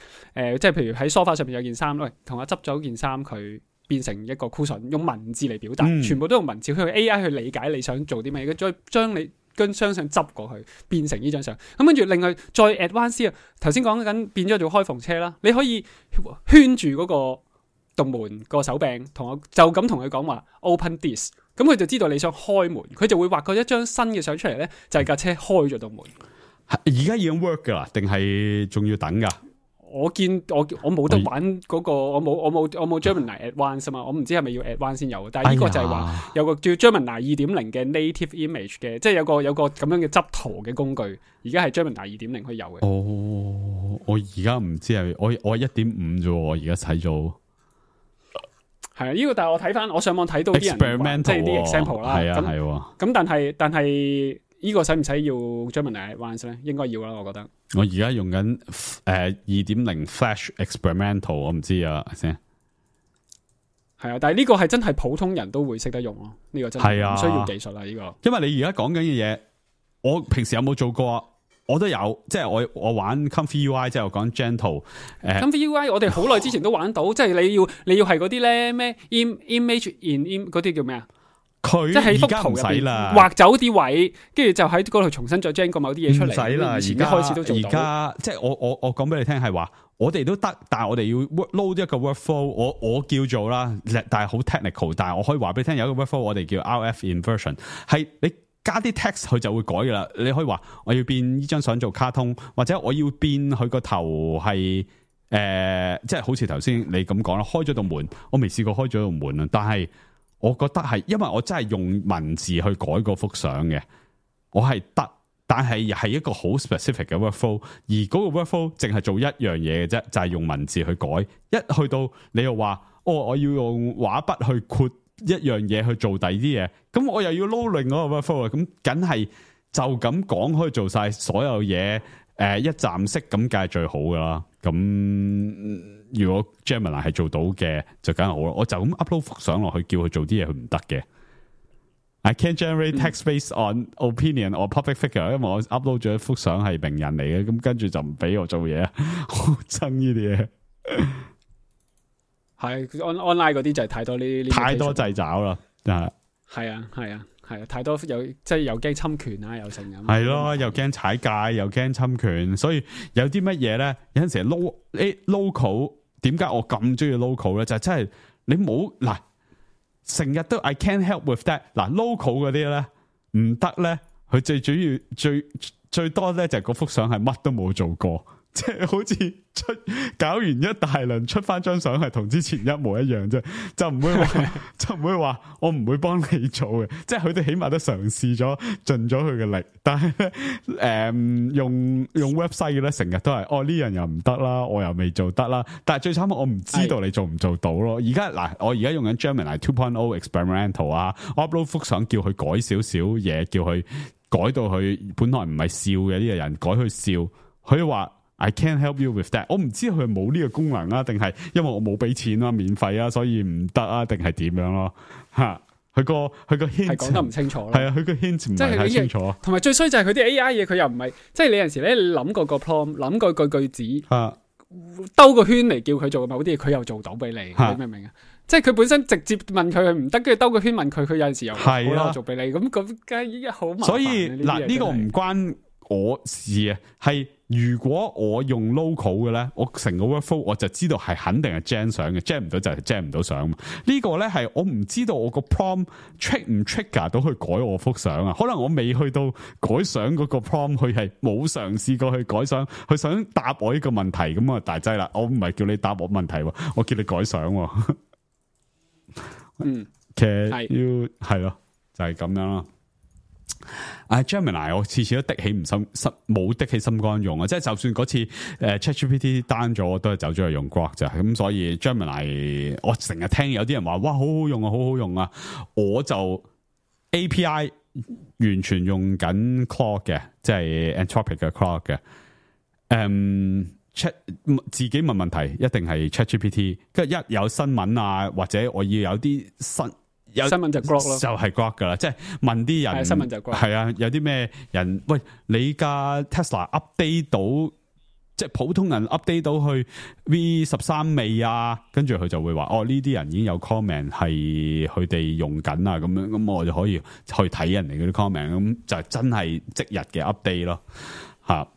即係譬如喺梳化上面有件衫，喂，同我執咗件衫佢變成一個 cushion， 用文字嚟表達，全部都用文字，佢用 AI 去理解你想做啲咩，再將你跟張相執過去變成呢張相。咁跟住另外再 advance 啊，頭先講緊變咗做開篷車啦，你可以圈住嗰個洞門個手柄，就咁同佢講話 open this。咁佢就知道你想開門，佢就會畫過一張新嘅相出嚟咧，就係架車開咗道門。而家已經 work 噶啦，定係仲要等噶？我冇得玩嗰個，我冇 Gemini Advanced 啊嘛，我唔知係咪要 Advanced 先有。但係呢個就係話有個叫 Gemini 2.0嘅 native image 嘅，即係有個咁樣嘅執圖嘅工具。而家係 Gemini 2.0可以有嘅。哦，我而家唔知係我 1.5 啫，我而家睇咗。係啊，呢個但係我睇翻，我上網睇到啲人即係啲 example 啦。係啊，係。咁但係呢個使唔使要 Gemini Advanced 咧？應該要啦，我覺得。我而家用緊2.0 Flash Experimental， 我唔知啊先。係啊，但係呢個係真係普通人都會識得用咯。呢個真係唔需要技術啦。呢個。因為你而家講緊嘅嘢，我平時有冇做過？我都有，即係我玩 Comfy UI， 即係我講 Gentle。Comfy UI 我哋好耐之前都玩到，即係你要係嗰啲咧咩 image in 嗰啲叫咩啊？佢即係喺幅圖入邊畫走啲位，跟住就喺嗰度重新再 gen 個某啲嘢出嚟。唔使啦，而家開始都做到。而家即係我講俾你聽係話，我哋都得，但係我哋要 load 一個 workflow， 我叫做啦，但係好 technical， 但係我可以話俾你聽，有一個 workflow 我哋叫 RF inversion， 係你加啲 text 佢就會改噶啦。你可以話我要變呢張相做卡通，或者我要變佢個頭係即係好似頭先你咁講啦，開咗道門，我未試過開咗道門啊，但係。我覺得係，因為我真係用文字去改嗰幅相嘅，我係得，但係係一個好 specific 嘅 workflow， 而嗰個 workflow 淨係做一樣嘢嘅啫，就係用文字去改。一去到你又話，我要用畫筆去括一樣嘢去做第二啲嘢，咁我又要撈另外一個 workflow， 咁梗係就咁講可以做晒所有嘢，一站式咁梗係最好噶啦。咁如果 Gemini 係做到嘅，就梗係好啦。我就咁 upload 幅相落去，叫佢做啲嘢，佢唔得嘅。I can't generate text based on opinion or public figure， 因為我 upload 咗一幅相係名人嚟嘅，咁跟住就唔俾我做嘢，好憎呢啲嘢。係 online 嗰啲就係太多呢太多掣肘啦，係啊。係啊，太多即係又驚侵權啊，又成咁。係咯，又驚踩界，又驚侵權，所以有啲乜嘢咧？有陣時 local 點解我咁中意 local 咧？就係真係你冇嗱，成日都 I can't help with that 嗱 local 嗰啲咧唔得咧，佢最主要最多咧就係嗰幅相係乜都冇做過，即係好似搞完一大輪出翻張相係同之前一模一樣啫，就唔會話我唔會幫你做嘅，即係佢哋起碼都嘗試咗盡咗佢嘅力，但係咧用 website 嘅咧成日都係呢樣又唔得啦，我又未做得啦，但係最慘我唔知道你做唔做到咯。而家嗱，我而家用緊 Gemini 2.0 experimental 啊，我 upload 幅相叫佢改少少嘢，叫佢改到佢本來唔係笑嘅呢個人改去笑，佢話I can't help you with that。我唔知佢冇呢個功能啊，定係因為我冇俾錢啊，免費啊，所以唔得啊，定係點樣咯？吓，佢個 hint 係講得唔清楚咯。係啊，佢個 hint 唔係太清楚。同埋最衰就係佢啲 AI 嘢，佢又唔係，即係你有陣時咧諗過個 prompt， 諗過句子，兜個圈嚟叫佢做某啲嘢，佢又做到俾你，你明唔明啊？即係佢本身直接問佢唔得，跟住兜個圈問佢，佢有陣時又好啦做俾你，咁梗係好麻煩。所以嗱，呢個唔關我事啊，係如果我用 local 嘅咧，我成個 workflow 我就知道係肯定係 gen 相嘅 ，gen 唔到就係 gen 唔到相嘛。呢個咧係我唔知道我個 prompt trick 唔 trigger 到去改我幅相啊。可能我未去到改相嗰個 prompt， 佢係冇嘗試過去改相，佢想答我呢個問題咁啊大劑啦。我唔係叫你答我問題，我叫你改相。其實要係咯，就係咁樣咯。Gemini 我次次都的起唔心冇的起心肝用啊！即係就算嗰次ChatGPT down 咗，我都係走咗去用 Grok 咋。咁所以 Gemini 我成日聽有啲人話哇好好用啊，好好用啊！我就 API 完全用緊 Claude 嘅，即係 Anthropic 嘅 Claude 嘅。自己問問題一定係 ChatGPT， 跟住一有新聞啊，或者我要有啲新聞就 Grok 咯，就係 Grok 噶啦，即係問啲人新聞就 Grok， 係啊，有啲咩人喂你架 Tesla update 到，即係普通人 update 到去 V13未啊？跟住佢就會話呢啲人已經有 comment 係佢哋用緊啊，咁樣咁我就可以去睇人哋嗰啲 comment， 咁就係真係即日嘅 update 咯，吓。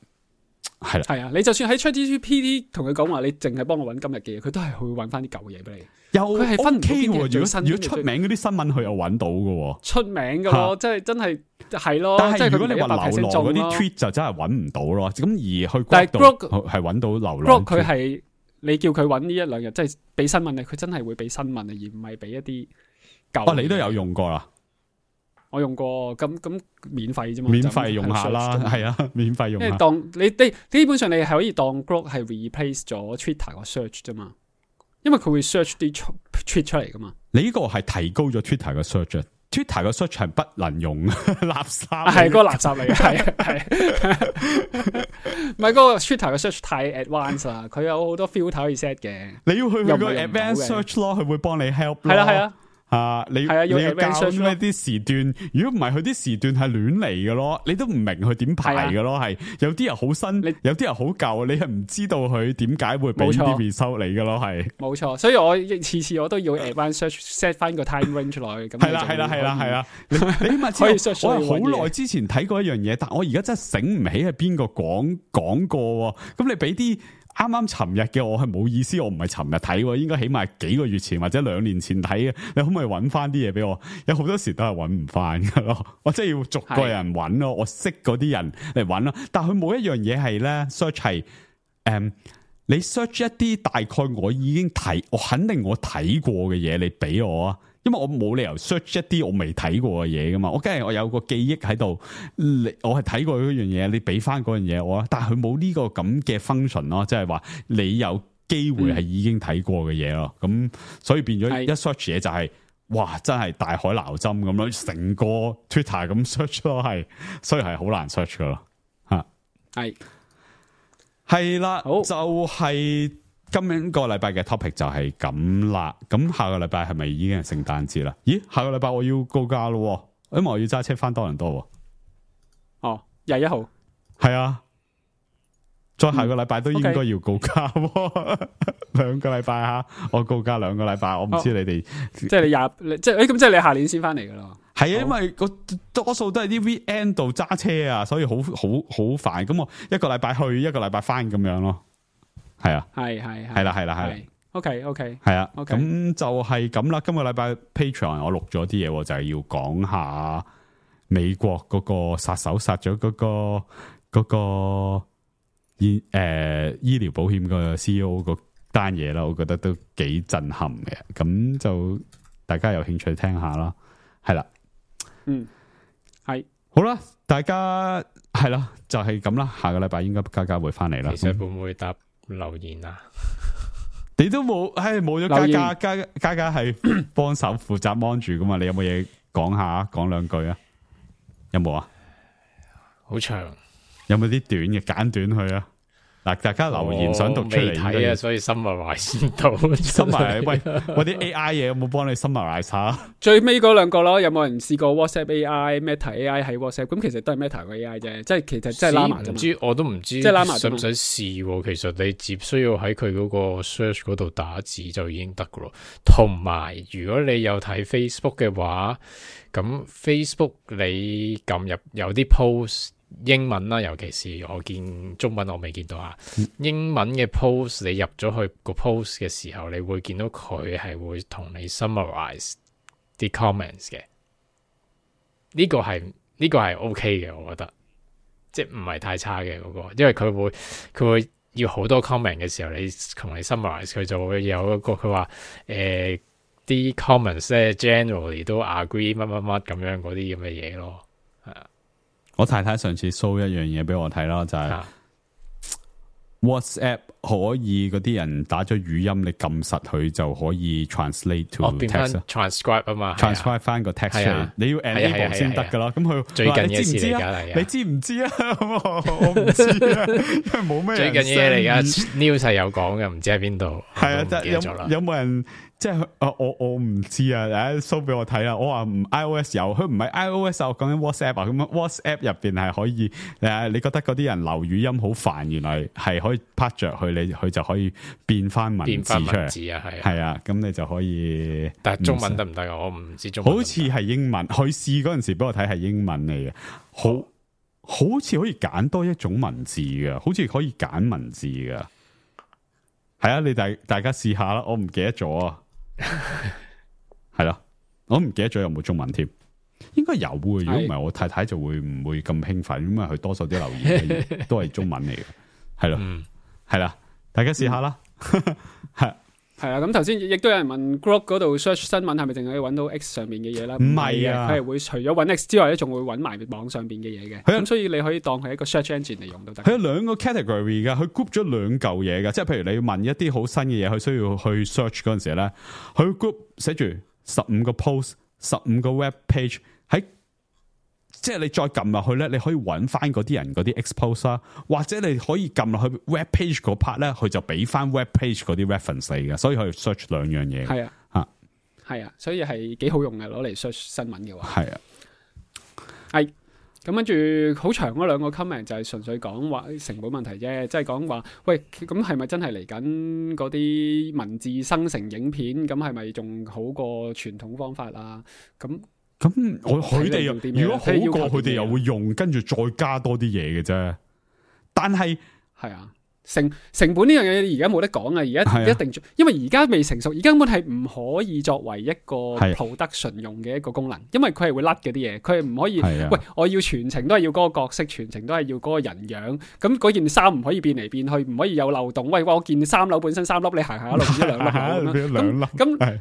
係啦，係啊！你就算喺 ChatGPT 同佢講話，你淨係幫我揾今日嘅嘢，佢都係會揾翻啲舊嘢俾你。佢係分唔到邊啲最新。如果出名嗰啲新聞，佢又揾到嘅。出名嘅咯，即係真係係咯。但係如果你話流浪嗰啲 tweet 就真係揾唔到咯。咁而去 Grok 係揾到流浪。Grok 佢係你叫佢揾呢一兩日，即係俾新聞咧，佢真係會俾新聞啊，而唔係俾一啲舊。你都有用過啦。我用過咁免費啫嘛，免費用下啦，係啊，免費用下。因為當你基本上你係可以當 Grok 係 replace 咗 Twitter 個 search 啫嘛，因為佢會 search 啲 tweet 出嚟噶嘛。你呢個係提高咗 Twitter 個 search，Twitter 個 search 係不能用垃圾，係嗰個垃圾嚟嘅，係唔係嗰個 Twitter 個 search 太 advanced 啦，佢有好多 filter 可以 set 嘅。你要去個 advanced search 咯，佢會幫你 help 咯。係啦係啊。你要教咩啲時段？如果唔係佢啲時段係亂嚟嘅咯，你都唔明佢點排嘅咯。係有啲人好新，有啲人好舊，你係唔知道佢點解會俾啲 result 你嘅咯。係冇錯，所以我次我都要 advanced search set 翻個 time range 落去。係啦，你起碼可以 search。我係好耐之前睇過一樣嘢，但我而家真係醒唔起係邊個講過。咁你俾啲。啱啱尋日嘅我係冇意思，我唔係尋日睇，應該起碼幾個月前或者2年前睇嘅。你可唔可以揾翻啲嘢俾我？有好多時都係揾唔翻噶咯，我真係要逐個人揾咯，我識嗰啲人嚟揾咯。但係佢冇一樣嘢係咧 search 係你 search 一啲大概我已經睇，我肯定我睇過嘅嘢，你俾我啊。因為我冇理由 search 一啲我未睇過嘅嘢噶嘛，我梗係我有個記憶喺度，我係睇過嗰樣嘢，你俾翻嗰樣嘢我啊，但係佢冇呢個咁嘅 function 咯，即係話你有機會係已經睇過嘅嘢咯，咁所以變咗一 search 嘢就係哇真係大海撈針咁咯，成個 Twitter 咁 search 咯，係所以係好難 search 噶咯，吓係啦，好就係。今個禮拜嘅 topic 就係咁啦，咁下個禮拜係咪已經係聖誕節啦？咦，下個禮拜我要告假咯，因為我要揸車翻多倫多。哦，21號係啊，再下個禮拜都應該要告假，2個禮拜吓，我告假2個禮拜，我唔知你哋，即係你即係即係你下年先翻嚟噶啦。係啊，因為多數都係啲 weekend 度揸車啊，所以好煩。咁我1個禮拜去，1個禮拜翻咁樣咯。係啊，係啦 ，OK， 係啊，咁就係咁啦。今個禮拜 Patreon 我錄咗啲嘢，就係要講下美國嗰個殺手殺咗嗰個醫療保險個 CEO 個單嘢啦，我覺得都幾震撼嘅。咁就大家有興趣聽下啦，係啦，係好啦，大家係啦，就係咁啦。下個禮拜應該嘉會翻嚟啦。其實會唔會答留言啊？你都冇，冇咗嘉係幫手負責 mon 住噶嘛？你有冇嘢講下？講兩句啊？有冇啊？好長，有冇啲短嘅簡短去啊？嗱，大家留言想讀出嚟睇啊，所以 summarize 先到。summarize 喂，啲 AI 嘢有冇幫你 summarize 下？最尾嗰兩個咯，有冇人試過 WhatsApp AI、Meta AI 喺 WhatsApp？咁其實都係 Meta 個 AI 啫，即係其實即係 Llama 啫嘛。唔知我都唔知，即係 Llama 使唔使試？其實你只需要喺佢嗰個 search 嗰度打字就已經得噶咯。同埋，如果你有睇 Facebook 嘅話，咁 Facebook 你撳入有啲 post。英文啦，尤其是我見中文我未見到啊。英文嘅 post 你入咗去個 post 嘅時候，你會見到佢係會同你 summarize 啲 comments 嘅。呢個係 OK 嘅，我覺得即係唔係太差嘅嗰個，因為佢會要好多 comment 嘅時候，你同你 summarize 佢就會有一個佢話啲 comments 咧 generally 都 agree 乜乜乜咁樣嗰啲咁嘅嘢咯，係啊。我太太上次 show 一樣嘢俾我睇啦，就係 WhatsApp 可以嗰啲人打咗語音，你撳實佢就可以 translate to text transcribe 啊嘛 ，transcribe 翻個 text 出嚟，你要 enable 先得噶啦。咁佢最近嘅事嚟㗎，你知唔知啊？我唔知啊，因為冇咩最近嘢嚟㗎 ，news 係有講嘅，唔知喺邊度。係啊，有冇人？即係我唔知啊，show 俾我睇啦。我話唔 iOS 有，佢唔係 iOS 啊，我講緊 WhatsApp 啊。咁 WhatsApp 入邊係可以你覺得嗰啲人留語音好煩，原來係可以拍着佢就可以變翻文字出嚟。係啊，咁你就可以。但係中文得唔得啊？我唔知中文。好似係英文，佢試嗰陣時俾我睇係英文嚟嘅，好似可以揀多一種文字嘅，好似可以揀文字嘅。係啊，你大家試下啦，我唔記得咗啊。係啦，我唔記得咗有冇中文添，應該有嘅。如果唔係，我太太就會唔會咁興奮，因為佢多數啲留言都係中文嚟嘅。係咯，係啦，大家試下啦。係啊，咁頭先亦都有人問 Grok 嗰度 search 新聞係咪淨係可以揾到 X 上面嘅嘢啦？唔係啊，佢係會除咗揾 X 之外咧，仲會揾埋網上邊嘅嘢嘅。咁所以你可以當係一個 search engine 嚟用都得。佢有兩個 category 噶，佢 group 咗兩嚿嘢噶，即係譬如你要問一啲好新嘅嘢，佢需要去 search 嗰陣時咧，佢 group 寫住15個 post、15個 web page 喺。即係你再撳落去咧，你可以揾翻嗰啲人嗰啲 expose 啦，或者你可以撳落去 web page 嗰 part 咧，佢就俾翻 web page 嗰啲 reference 嚟嘅，所以可以 search 兩樣嘢。係啊，係啊，所以係幾好用嘅，攞嚟 search 新聞嘅話。係啊，係咁跟住好長嗰兩個 comment 就係純粹講話成本問題啫，即係講話喂，咁係咪真係嚟緊嗰啲文字生成影片，咁係咪仲好過傳統方法啊？咁佢哋如果好過佢哋又會用，跟住再加多啲嘢嘅啫。但係係啊，成本呢樣嘢而家冇得講啊！而家一定，因為而家未成熟，而家根本係唔可以作為一個 production 用嘅一個功能，因為佢係會甩嘅啲嘢，佢係唔可以。喂，我要全程都係要嗰個角色，全程都係要嗰個人樣，咁嗰件衫唔可以變嚟變去，唔可以有漏洞。喂，我件3樓本身3粒，你行一路變咗2粒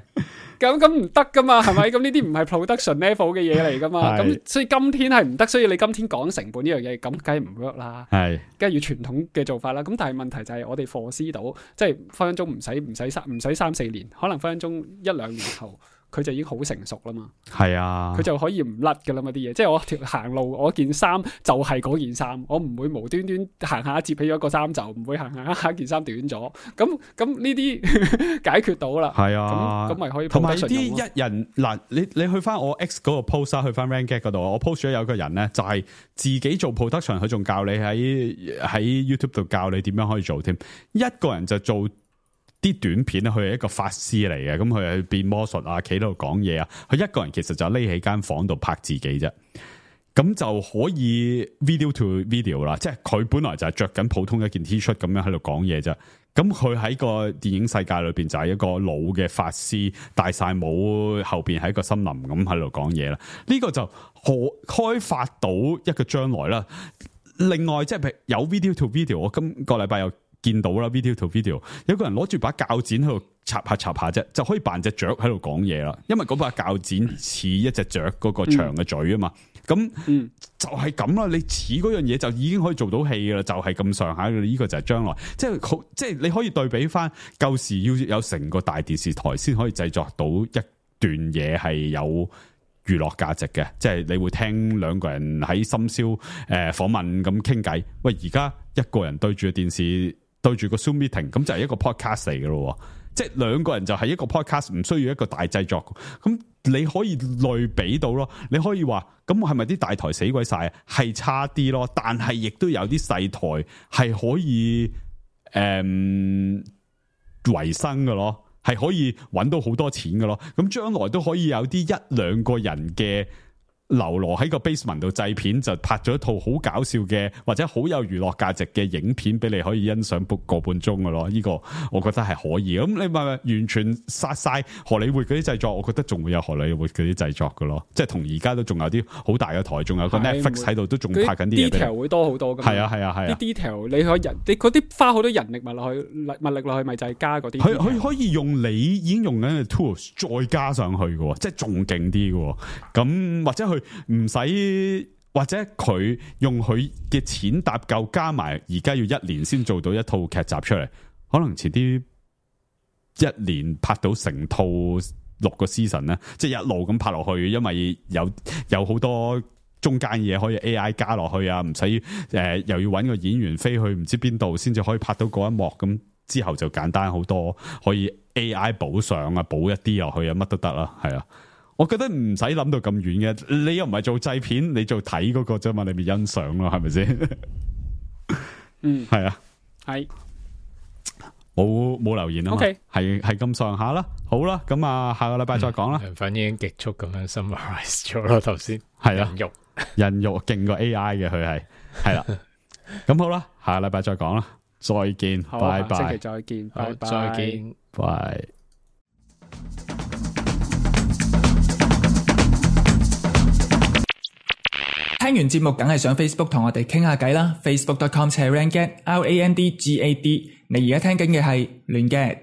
咁唔得噶嘛，係咪？咁呢啲唔係 production level 嘅嘢嚟噶嘛，咁所以今天係唔得，所以你今天講成本呢樣嘢，咁梗係唔 work 啦，係，梗係要傳統嘅做法啦。咁但係問題就係我哋 foresee 到，即係分分鐘唔使3-4年，可能分分鐘1-2年後。佢就已經好成熟啦嘛，係啊，佢就可以唔甩噶啦嘛啲嘢，即係我條行路，我件衫就係嗰件衫，我唔會無端端行下摺起咗個衫袖，唔會行下件衫短咗，咁呢啲解決到啦，係啊，咁咪可以同埋啲一人嗱，你去翻我 X 嗰個 post 去翻 Ranget 嗰度，我 post 咗有個人咧，就係自己做 production，佢仲教你喺 YouTube 度教你點樣可以做添，一個人就做。啲短片咧，佢係一個法師嚟嘅，咁佢係變魔術啊，企喺度講嘢啊，佢一個人其實就匿喺間房度拍自己啫，咁就可以 video to video 啦，即係佢本來就係着緊普通一件 T 恤咁樣喺度講嘢啫，咁佢喺個電影世界裏邊就係一個老嘅法師，戴晒帽，後邊係一個森林咁喺度講嘢啦，呢個就可開發到一個將來啦。另外即係譬如有 video to video， 我今個禮拜又見到啦 video to video， 有個人攞住把鉸剪喺度插下啫，就可以扮隻雀喺度講嘢啦。因為嗰把鉸剪似一隻雀嗰個長嘅嘴啊嘛。咁就係咁啦，你似嗰樣嘢就已經可以做到戲噶啦，就係咁上下嘅。呢個就係將來，即係你可以對比翻舊時要有成個大電視台先可以製作到一段嘢係有娛樂價值嘅，即係你會聽兩個人喺深宵訪問咁傾偈。喂，而家一個人對住個電視對住個 Zoom meeting， 咁就係一個 podcast 嚟噶咯。即係兩個人就係一個 podcast， 唔需要一個大製作。咁你可以類比到咯，你可以話咁係咪啲大台死鬼晒？係差啲咯，但係亦都有啲細台係可以維生嘅咯，係可以搵到好多錢嘅咯。咁將來都可以有啲一兩個人嘅流羅喺個 basement 度製片，就拍咗一套好搞笑嘅或者好有娛樂價值嘅影片俾你可以欣賞個半鐘嘅咯。呢個我覺得係可以。咁你咪完全殺晒荷里活嗰啲製作，我覺得仲會有荷里活嗰啲製作嘅咯。即係同而家都仲有啲好大嘅台，仲有個 Netflix 喺度都仲拍緊啲嘢。detail 會多好多㗎。係啊。啲 detail 你嗰啲花好多人力物力落去，咪就係加嗰啲。佢可以用你已經用緊嘅 tools 再加上去嘅，即係仲勁啲嘅。咁或者佢唔使，或者佢用佢嘅錢搭夠，加埋而家要1年先做到一套劇集出嚟，可能遲啲1年拍到成套6個 season 咧，即係一路咁拍落去，因為有好多中間嘢可以 AI 加落去啊，唔使又要搵個演員飛去唔知邊度先至可以拍到嗰一幕，咁之後就簡單好多，可以 AI 補上啊，補一啲落去啊，乜都得啦，係啊。我覺得唔使諗到咁遠嘅，你又唔係做製片，你做睇嗰個啫嘛，你咪欣賞咯，係咪先？係啊，係冇留言啊嘛，係咁上下啦，好啦，咁啊下個禮拜再講啦。反正已經極速咁樣 summarize 咗咯，頭先係啊，人肉勁過 AI 嘅佢係啦，咁好啦，下個禮拜再講啦，再見，拜拜，下星期再見，拜拜，再見，拜。聽完節目梗係上 Facebook 同我哋傾下偈啦，facebook.com/randgad，RANDGAD。你而家聽緊嘅係亂 gad。